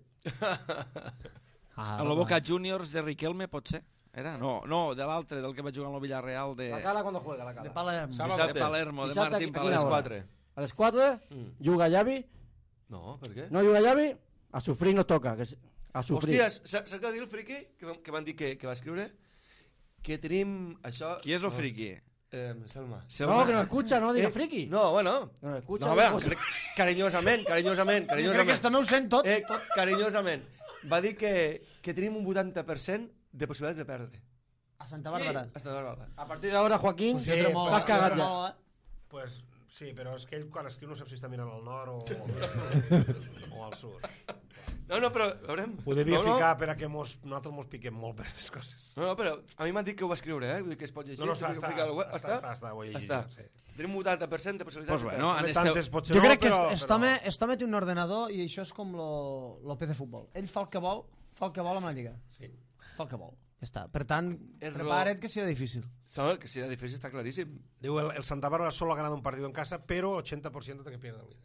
Ah, A la Boca Juniors de Riquelme, pot ser? Era? No, no, de l'altre, del que va jugar en el Villarreal de, La Cala cuando juega, la De Cala. Palermo. Sábado. de Dissabte. Palermo, de Dissabte Martín aquí- A aquí les Quina hora? quatre. A las cuatro, Mm. juga Xavi, No, per què? no juga Xavi, a sufrir nos toca, que es- a sufrir. Hòsties, saps què va dir el friqui? Que, vam- que van dir que, que va escriure? Que tenim això... Qui és el friqui? Eh, Selma. No, que nos escucha, no diga Eh, friki. No, bueno. Que nos escucha. No, diga bueno, cosas. cre- carinyosament, carinyosament, Jo crec que carinyosament. també ho sent tot. Eh, carinyosament. Va dir que, que tenim un vuitanta per cent de possibilitats de perdre. A Santa Bàrbara. Hasta Bàrbara. A partir de ahora, Joaquín, Sí, Jo tremola, l'has cagat jo ja. tremola. Pues, sí, però és que ell quan escriu no sap si està mirant al nord o, o al sud. No, no, però, a veure... Ho devia no, no, ficar per a que mos, nosaltres mos piquem molt per aquestes coses. No, no, però a mi m'han dit que ho va escriure, eh? Vull dir que es pot llegir. No, no, si està, ho està, fica al web. està, Està? està, està, ho he llegit Està. jo, sí. Tenim un vuitanta per cent de possibilitats Pues de bueno, perdre. en Tantes este... potser Jo no, crec que però, aquest però... home, aquest home té un ordenador i això és com lo, lo P C Futbol. Ell fa el que vol, fa el que vol amb la lliga. Sí. Fa el que vol. Ja està. Per tant, És prepara't que serà difícil. Sabe que si era difícil está clarísimo. Diu, el, el Santa Bárbara solo ha ganado un partido en casa, pero ochenta por ciento de que pierde el líder.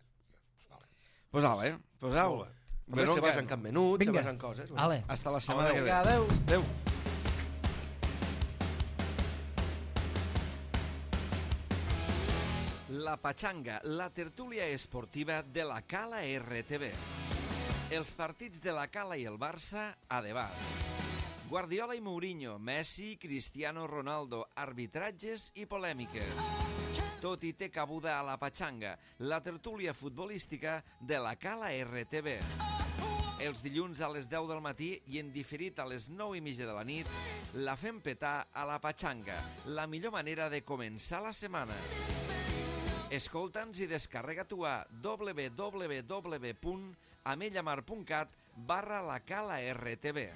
Pues vale, pues au. Molt bé. A veure, se que- basen en menut, se Vinga. basen coses. Bueno. Ale. Hasta la setmana que ve. Vinga, adeu. Adéu. La Pachanga, la tertúlia esportiva de la Cala R T V. Els partits de la Cala i el Barça a debat. Guardiola i Mourinho, Messi, Cristiano Ronaldo, arbitratges i polèmiques. Tot i té cabuda a la Pachanga, la tertúlia futbolística de la Cala R T V. Els dilluns a les deu del matí i en diferit a les nou i mitja de la nit, la fem petar a la Pachanga, la millor manera de començar la setmana. Escolta'ns i descarrega-t'ho a w w w punt amellamar punt cat barra la Cala R T V.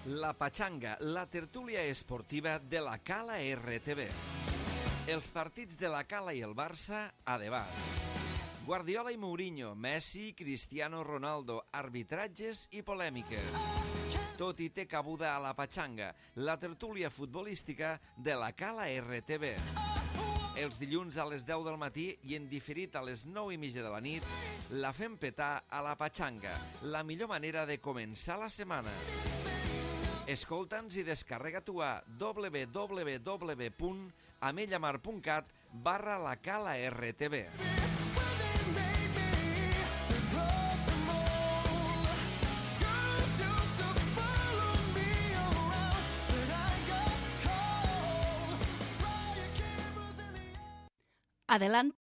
La Pachanga, la tertúlia esportiva de la Cala R T V. Els partits de la Cala i el Barça a debat. Guardiola i Mourinho, Messi, Cristiano Ronaldo, arbitratges i polèmiques. Tot i té cabuda a la Pachanga, la tertúlia futbolística de la Cala R T V. Els dilluns a les deu del matí i en diferit a les nou i mitja de la nit, la fem petar a la Pachanga, la millor manera de començar la setmana. Escolta'ns i descarrega-t'ho a w w w punt amellamar punt cat barra la Cala R T V. Adelante